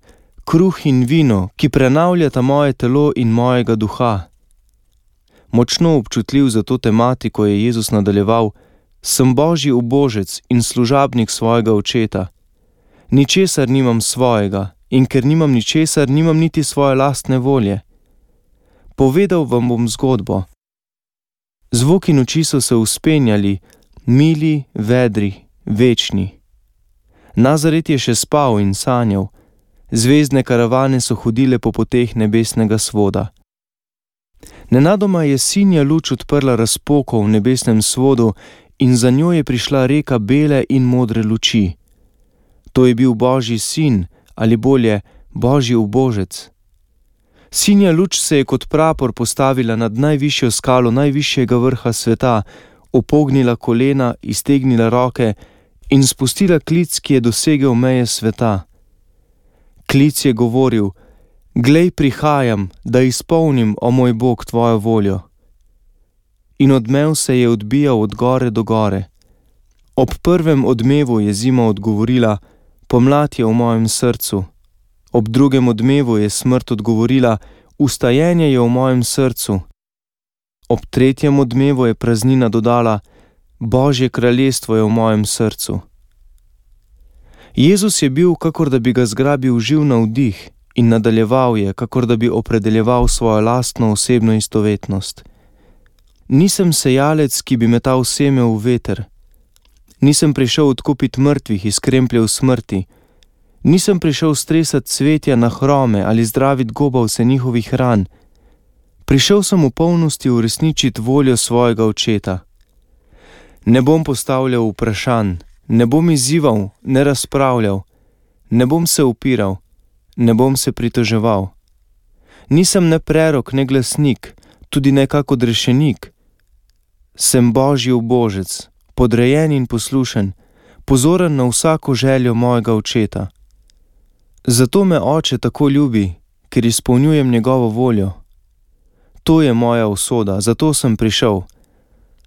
kruh in vino, ki prenavljata moje telo in mojega duha. Močno občutljiv za to tematiko je Jezus nadaljeval: sem Božji ubožec in služabnik svojega očeta. Ničesar nimam svojega, in ker nimam ničesar, nimam niti svoje lastne volje. Povedal vam bom zgodbo. Zvok in oči so se vzpenjali, mili, vedri, večni. Nazaret je še spal in sanjal. Zvezdne karavane so hodile po poteh nebesnega svoda. Nenadoma je sinja luč odprla razpoko v nebesnem svodu in za njo je prišla reka bele in modre luči. To je bil Božji sin, ali bolje, Božji ubožec. Sinja luč se je kot prapor postavila nad najvišjo skalo najvišjega vrha sveta, upognila kolena, iztegnila roke in spustila klic, ki je dosegel meje sveta. Klic je govoril: glej, prihajam, da izpolnim, o moj Bog, tvojo voljo. In odmev se je odbijal od gore do gore. Ob prvem odmevu je zima odgovorila: pomlad je v mojem srcu. Ob drugem odmevu je smrt odgovorila: vstajenje je v mojem srcu. Ob tretjem odmevu je praznina dodala: Božje kraljestvo je v mojem srcu. Jezus je bil, kakor da bi ga zgrabil živ navdih, in nadaljeval je, kakor da bi opredeljeval svojo lastno osebno istovetnost. Nisem sejalec, ki bi metal seme v veter. Nisem prišel odkupiti mrtvih iz krempljev smrti. Nisem prišel stresati cvetja na hrome ali zdraviti gobavce njihovih ran. Prišel sem v polnosti uresničiti voljo svojega očeta. Ne bom postavljal vprašanj, ne bom izzival, ne razpravljal, ne bom se upiral, ne bom se pritoževal. Nisem ne prerok, ne glasnik, tudi ne kak odrešenik. Sem Božji ubožec, podrejen in poslušen, pozoren na vsako željo mojega očeta. Zato me oče tako ljubi, ker izpolnjujem njegovo voljo. To je moja usoda, zato sem prišel.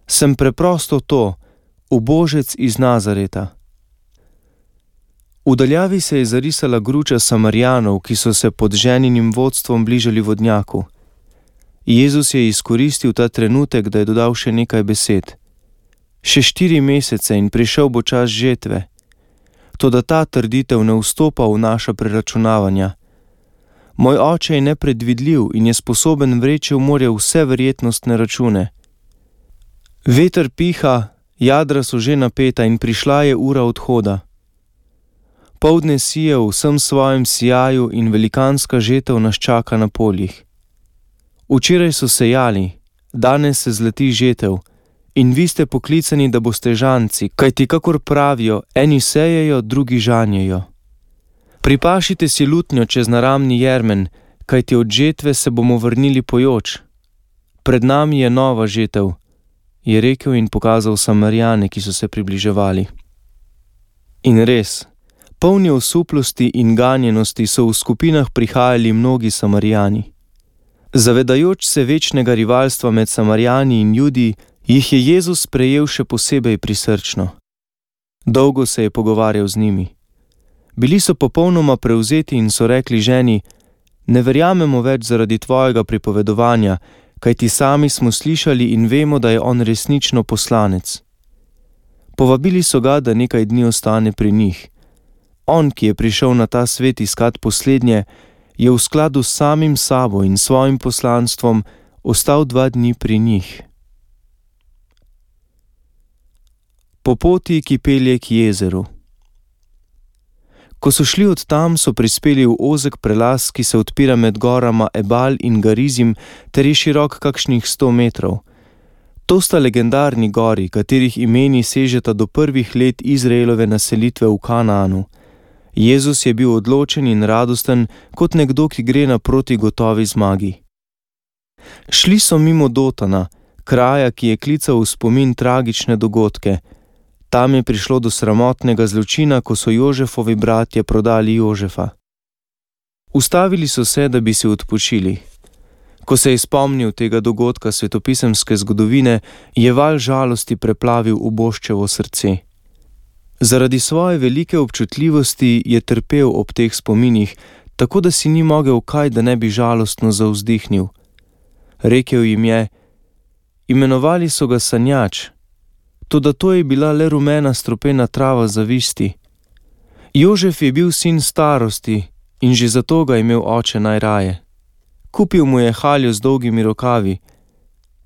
Sem preprosto to, ubožec iz Nazareta. V daljavi se je zarisala gruča Samarijanov, ki so se pod ženinim vodstvom bližali vodnjaku. Jezus je izkoristil ta trenutek, da je dodal še nekaj besed. Še 4 mesece in prišel bo čas žetve. Toda ta trditev ne vstopa v naša preračunavanja. Moj oče je nepredvidljiv in je sposoben vreči v morje vse verjetnostne račune. Veter piha, jadra so že napeta in prišla je ura odhoda. Poldne sije v vsem svojem sijaju in velikanska žetev nas čaka na poljih. Včeraj so sejali, danes se zleti žetev in vi ste poklicani, da boste žanci, kajti kakor pravijo, eni sejejo, drugi žanjejo. Pripašite si lutnjo čez naramni jermen, kajti od žetve se bomo vrnili pojoč. Pred nami je nova žetev, je rekel in pokazal Samarijane, ki so se približevali. In res, polni osuplosti in ganjenosti so v skupinah prihajali mnogi Samarijani. Zavedajoč se večnega rivalstva med Samarijani in Judi, jih je Jezus sprejel še posebej prisrčno. Dolgo se je pogovarjal z njimi. Bili so popolnoma prevzeti in so rekli ženi: ne verjamemo več zaradi tvojega pripovedovanja, kajti sami smo slišali in vemo, da je on resnično poslanec. Povabili so ga, da nekaj dni ostane pri njih. On, ki je prišel na ta svet iskat poslednje, je v skladu s samim sabo in svojim poslanstvom ostal 2 dni pri njih. Po poti, ki pelje k jezeru. Ko so šli od tam, so prispeli v ozek prelaz, ki se odpira med gorama Ebal in Garizim, ter je širok kakšnih 100 metrov. To sta legendarni gori, katerih imeni sežeta do prvih let Izraelove naselitve v Kanaanu. Jezus je bil odločen in radosten, kot nekdo, ki gre naproti gotovi zmagi. Šli so mimo Dotana, kraja, ki je klical v spomin tragične dogodke. Tam je prišlo do sramotnega zločina, ko so Jožefovi bratje prodali Jožefa. Ustavili so se, da bi si odpočili. Ko se je spomnil tega dogodka svetopisemske zgodovine, je val žalosti preplavil uboščevo srce. Zaradi svoje velike občutljivosti je trpel ob teh spominih, tako da si ni mogel kaj, da ne bi žalostno zavzdihnil. Rekel jim je: imenovali so ga sanjač, toda to je bila le rumena strupena trava zavisti. Jožef je bil sin starosti in že zato ga je imel oče najraje. Kupil mu je haljo z dolgimi rokavi,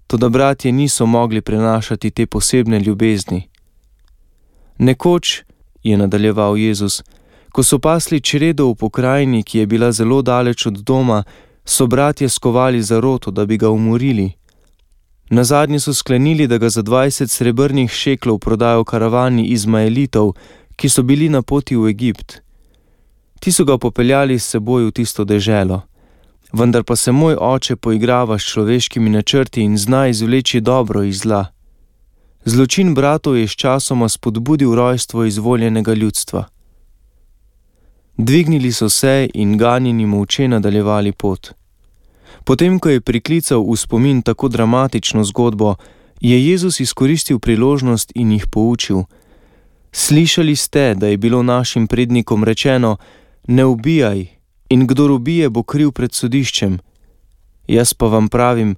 toda bratje niso mogli prenašati te posebne ljubezni. Nekoč, je nadaljeval Jezus, ko so pasli čredo v pokrajini, ki je bila zelo daleč od doma, so bratje skovali zaroto, da bi ga umorili. Nazadnje so sklenili, da ga za 20 srebrnih šeklov prodajo karavani Izmaelitov, ki so bili na poti v Egipt. Ti so ga popeljali s seboj v tisto deželo. Vendar pa se moj oče poigrava s človeškimi načrti in zna izvleči dobro iz zla. Zločin bratov je sčasoma spodbudil rojstvo izvoljenega ljudstva. Dvignili so se in ganjeni molče nadaljevali pot. Potem, ko je priklical v spomin tako dramatično zgodbo, je Jezus izkoristil priložnost in jih poučil. Slišali ste, da je bilo našim prednikom rečeno: ne ubijaj, in kdor ubije, bo kriv pred sodiščem. Jaz pa vam pravim,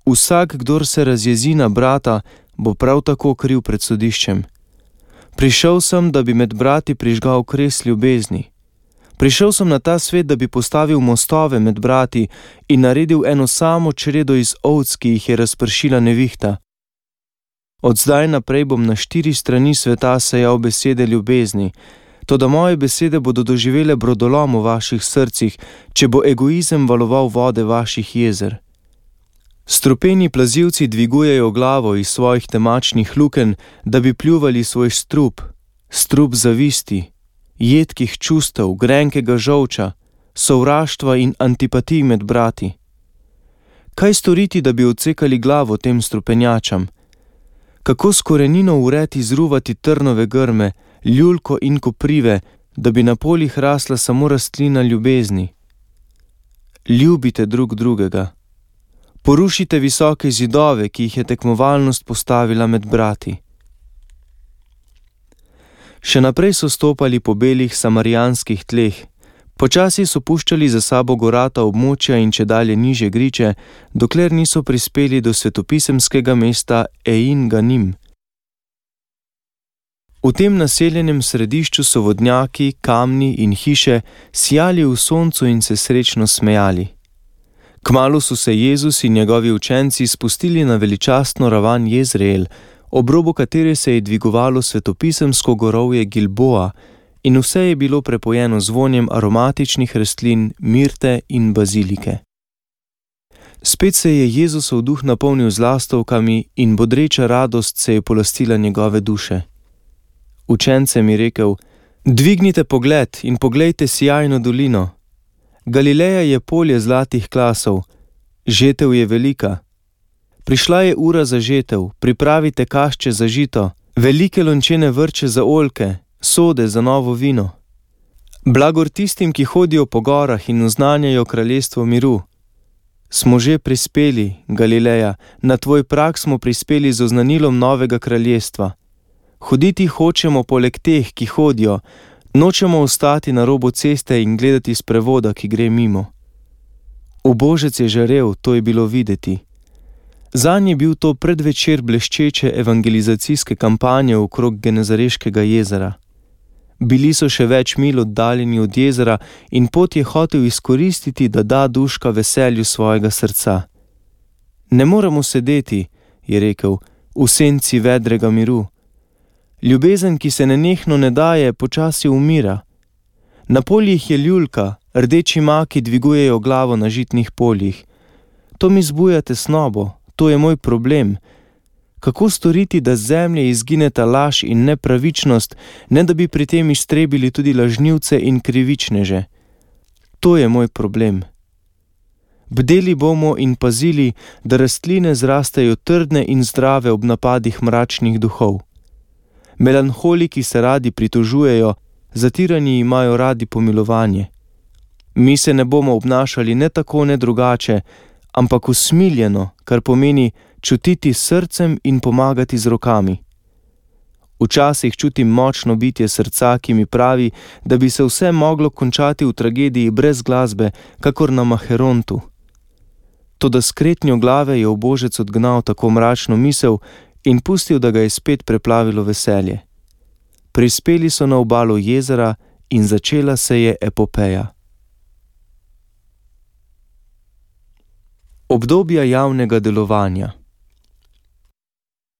vsak, kdor se razjezi na brata, bo prav tako kriv pred sodiščem. Prišel sem, da bi med brati prižgal kres ljubezni. Prišel sem na ta svet, da bi postavil mostove med brati in naredil eno samo čredo iz ovc, ki jih je razpršila nevihta. Od zdaj naprej bom na 4 strani sveta sejal besede ljubezni, toda moje besede bodo doživele brodolom v vaših srcih, če bo egoizem valoval vode vaših jezer. Strupeni plazilci dvigujejo glavo iz svojih temačnih lukenj, da bi pljuvali svoj strup zavisti, jedkih čustev, grenkega žolča, sovraštva in antipatij med brati. Kaj storiti, da bi odsekali glavo tem strupenjačam? Kako s korenino vred izruvati trnove grme, ljulko in koprive, da bi na poljih rasla samo rastlina ljubezni? Ljubite drug drugega. Porušite visoke zidove, ki jih je tekmovalnost postavila med brati. Še naprej so stopali po belih samarijanskih tleh. Počasi so puščali za sabo gorata območja in čedalje nižje griče, dokler niso prispeli do svetopisemskega mesta Ein Ganim. V tem naseljenem središču so vodnjaki, kamni in hiše sijali v soncu in se srečno smejali. Kmalu so se Jezus in njegovi učenci spustili na veličastno ravan Jezreel, ob robu katere se je dvigovalo svetopisemsko gorovje Gilboa, in vse je bilo prepojeno z vonjem aromatičnih rastlin, mirte in bazilike. Spet se je Jezusov duh napolnil z lastovkami in bodreča radost se je polastila njegove duše. Učencem je rekel: dvignite pogled in poglejte sijajno dolino. Galileja je polje zlatih klasov, žetev je velika. Prišla je ura za žetev, pripravite kašče za žito, velike lončene vrče za oljke, sode za novo vino. Blagor tistim, ki hodijo po gorah in oznanjajo kraljestvo miru. Smo že prispeli, Galileja, na tvoj prag smo prispeli z oznanilom novega kraljestva. Hoditi hočemo poleg teh, ki hodijo, nočemo ostati na robu ceste in gledati sprevoda, ki gre mimo. Ubožec je žarel, to je bilo videti. Zanj je bil to predvečer bleščeče evangelizacijske kampanje okrog Genezareškega jezera. Bili so še več mil oddaljeni od jezera in pot je hotel izkoristiti, da da duška veselju svojega srca. Ne moremo sedeti, je rekel, v senci vedrega miru. Ljubezen, ki se nenehno ne daje, počasi umira. Na poljih je ljulka, rdeči maki dvigujejo glavo na žitnih poljih. To mi zbuja tesnobo, to je moj problem. Kako storiti, da z zemlje izgineta laž in nepravičnost, ne da bi pri tem iztrebili tudi lažnivce in krivičneže? To je moj problem. Bdeli bomo in pazili, da rastline zrastejo trdne in zdrave ob napadih mračnih duhov. Melanholiki se radi pritožujejo, zatirani imajo radi pomilovanje. Mi se ne bomo obnašali ne tako ne drugače, ampak usmiljeno, kar pomeni čutiti s srcem in pomagati z rokami. Včasih čutim močno bitje srca, ki mi pravi, da bi se vse moglo končati v tragediji brez glasbe, kakor na Maherontu. Toda s kretnjo glave je ubožec odgnal tako mračno misel in pustil, da ga je spet preplavilo veselje. Prispeli so na obalo jezera in začela se je epopeja. Obdobja javnega delovanja.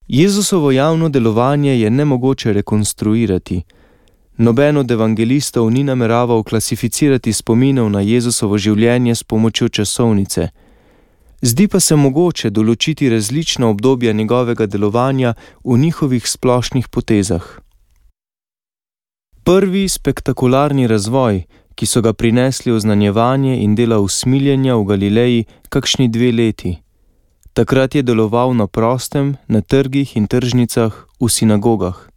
Jezusovo javno delovanje je nemogoče rekonstruirati. Noben od evangelistov ni nameraval klasificirati spominov na Jezusovo življenje s pomočjo časovnice. Zdi pa se mogoče določiti različna obdobja njegovega delovanja v njihovih splošnih potezah. Prvi spektakularni razvoj, ki so ga prinesli oznanjevanje in dela usmiljenja v Galileji kakšni 2 leti. Takrat je deloval na prostem, na trgih in tržnicah, v sinagogah.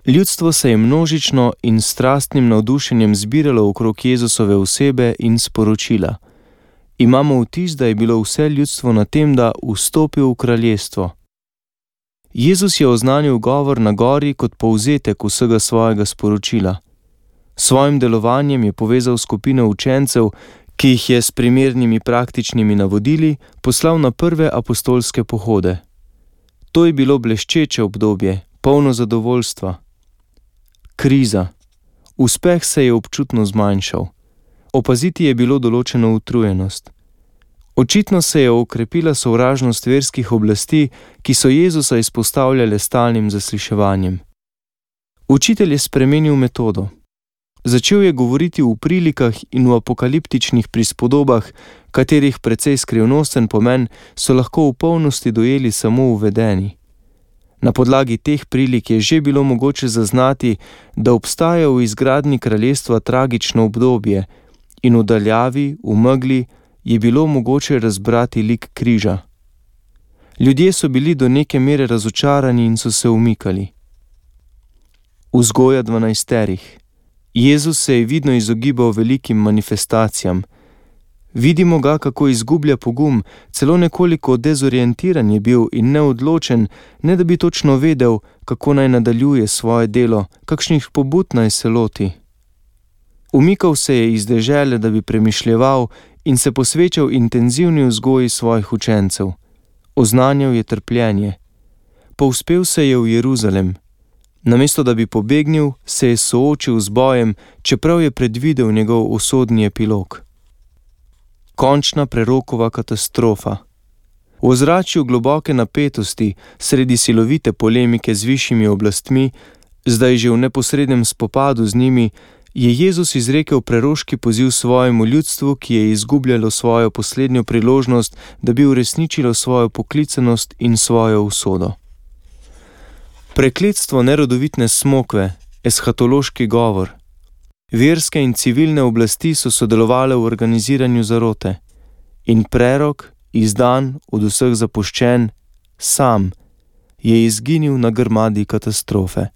Ljudstvo se je množično in strastnim navdušenjem zbiralo okrog Jezusove osebe in sporočila. Imamo vtis, da je bilo vse ljudstvo na tem, da vstopi v kraljestvo. Jezus je oznanil govor na gori kot povzetek vsega svojega sporočila. Svojim delovanjem je povezal skupino učencev, ki jih je s primernimi praktičnimi navodili poslal na prve apostolske pohode. To je bilo bleščeče obdobje, polno zadovoljstva. Kriza. Uspeh se je občutno zmanjšal. Opaziti je bilo določeno utrujenost. Očitno se je okrepila sovražnost verskih oblasti, ki so Jezusa izpostavljale stalnim zasliševanjem. Učitelj je spremenil metodo. Začel je govoriti v prilikah in v apokaliptičnih prispodobah, katerih precej skrivnosten pomen so lahko v polnosti dojeli samo uvedeni. Na podlagi teh prilik je že bilo mogoče zaznati, da obstaja v izgradnji kraljestva tragično obdobje in v daljavi, v megli, je bilo mogoče razbrati lik križa. Ljudje so bili do neke mere razočarani in so se umikali. Vzgoja 12. Jezus se je vidno izogibal velikim manifestacijam. Vidimo ga, kako izgublja pogum, celo nekoliko dezorientiran je bil in neodločen, ne da bi točno vedel, kako naj nadaljuje svoje delo, kakšnih pobud naj se loti. Umikal se je iz dežele, da bi premišljeval in se posvečal intenzivni vzgoji svojih učencev. Oznanjal je trpljenje. Povzpel se je v Jeruzalem. Namesto da bi pobegnil, se je soočil z bojem, čeprav je predvidel njegov usodni epilog. Končna prerokova katastrofa. V ozračju globoke napetosti, sredi silovite polemike z višjimi oblastmi, zdaj že v neposrednem spopadu z njimi, je Jezus izrekel preroški poziv svojemu ljudstvu, ki je izgubljalo svojo poslednjo priložnost, da bi uresničilo svojo poklicanost in svojo usodo. Prekletstvo nerodovitne smokve, eshatološki govor. Verske in civilne oblasti so sodelovale v organiziranju zarote. In prerok, izdan, od vseh zapuščen, sam, je izginil na grmadi katastrofe.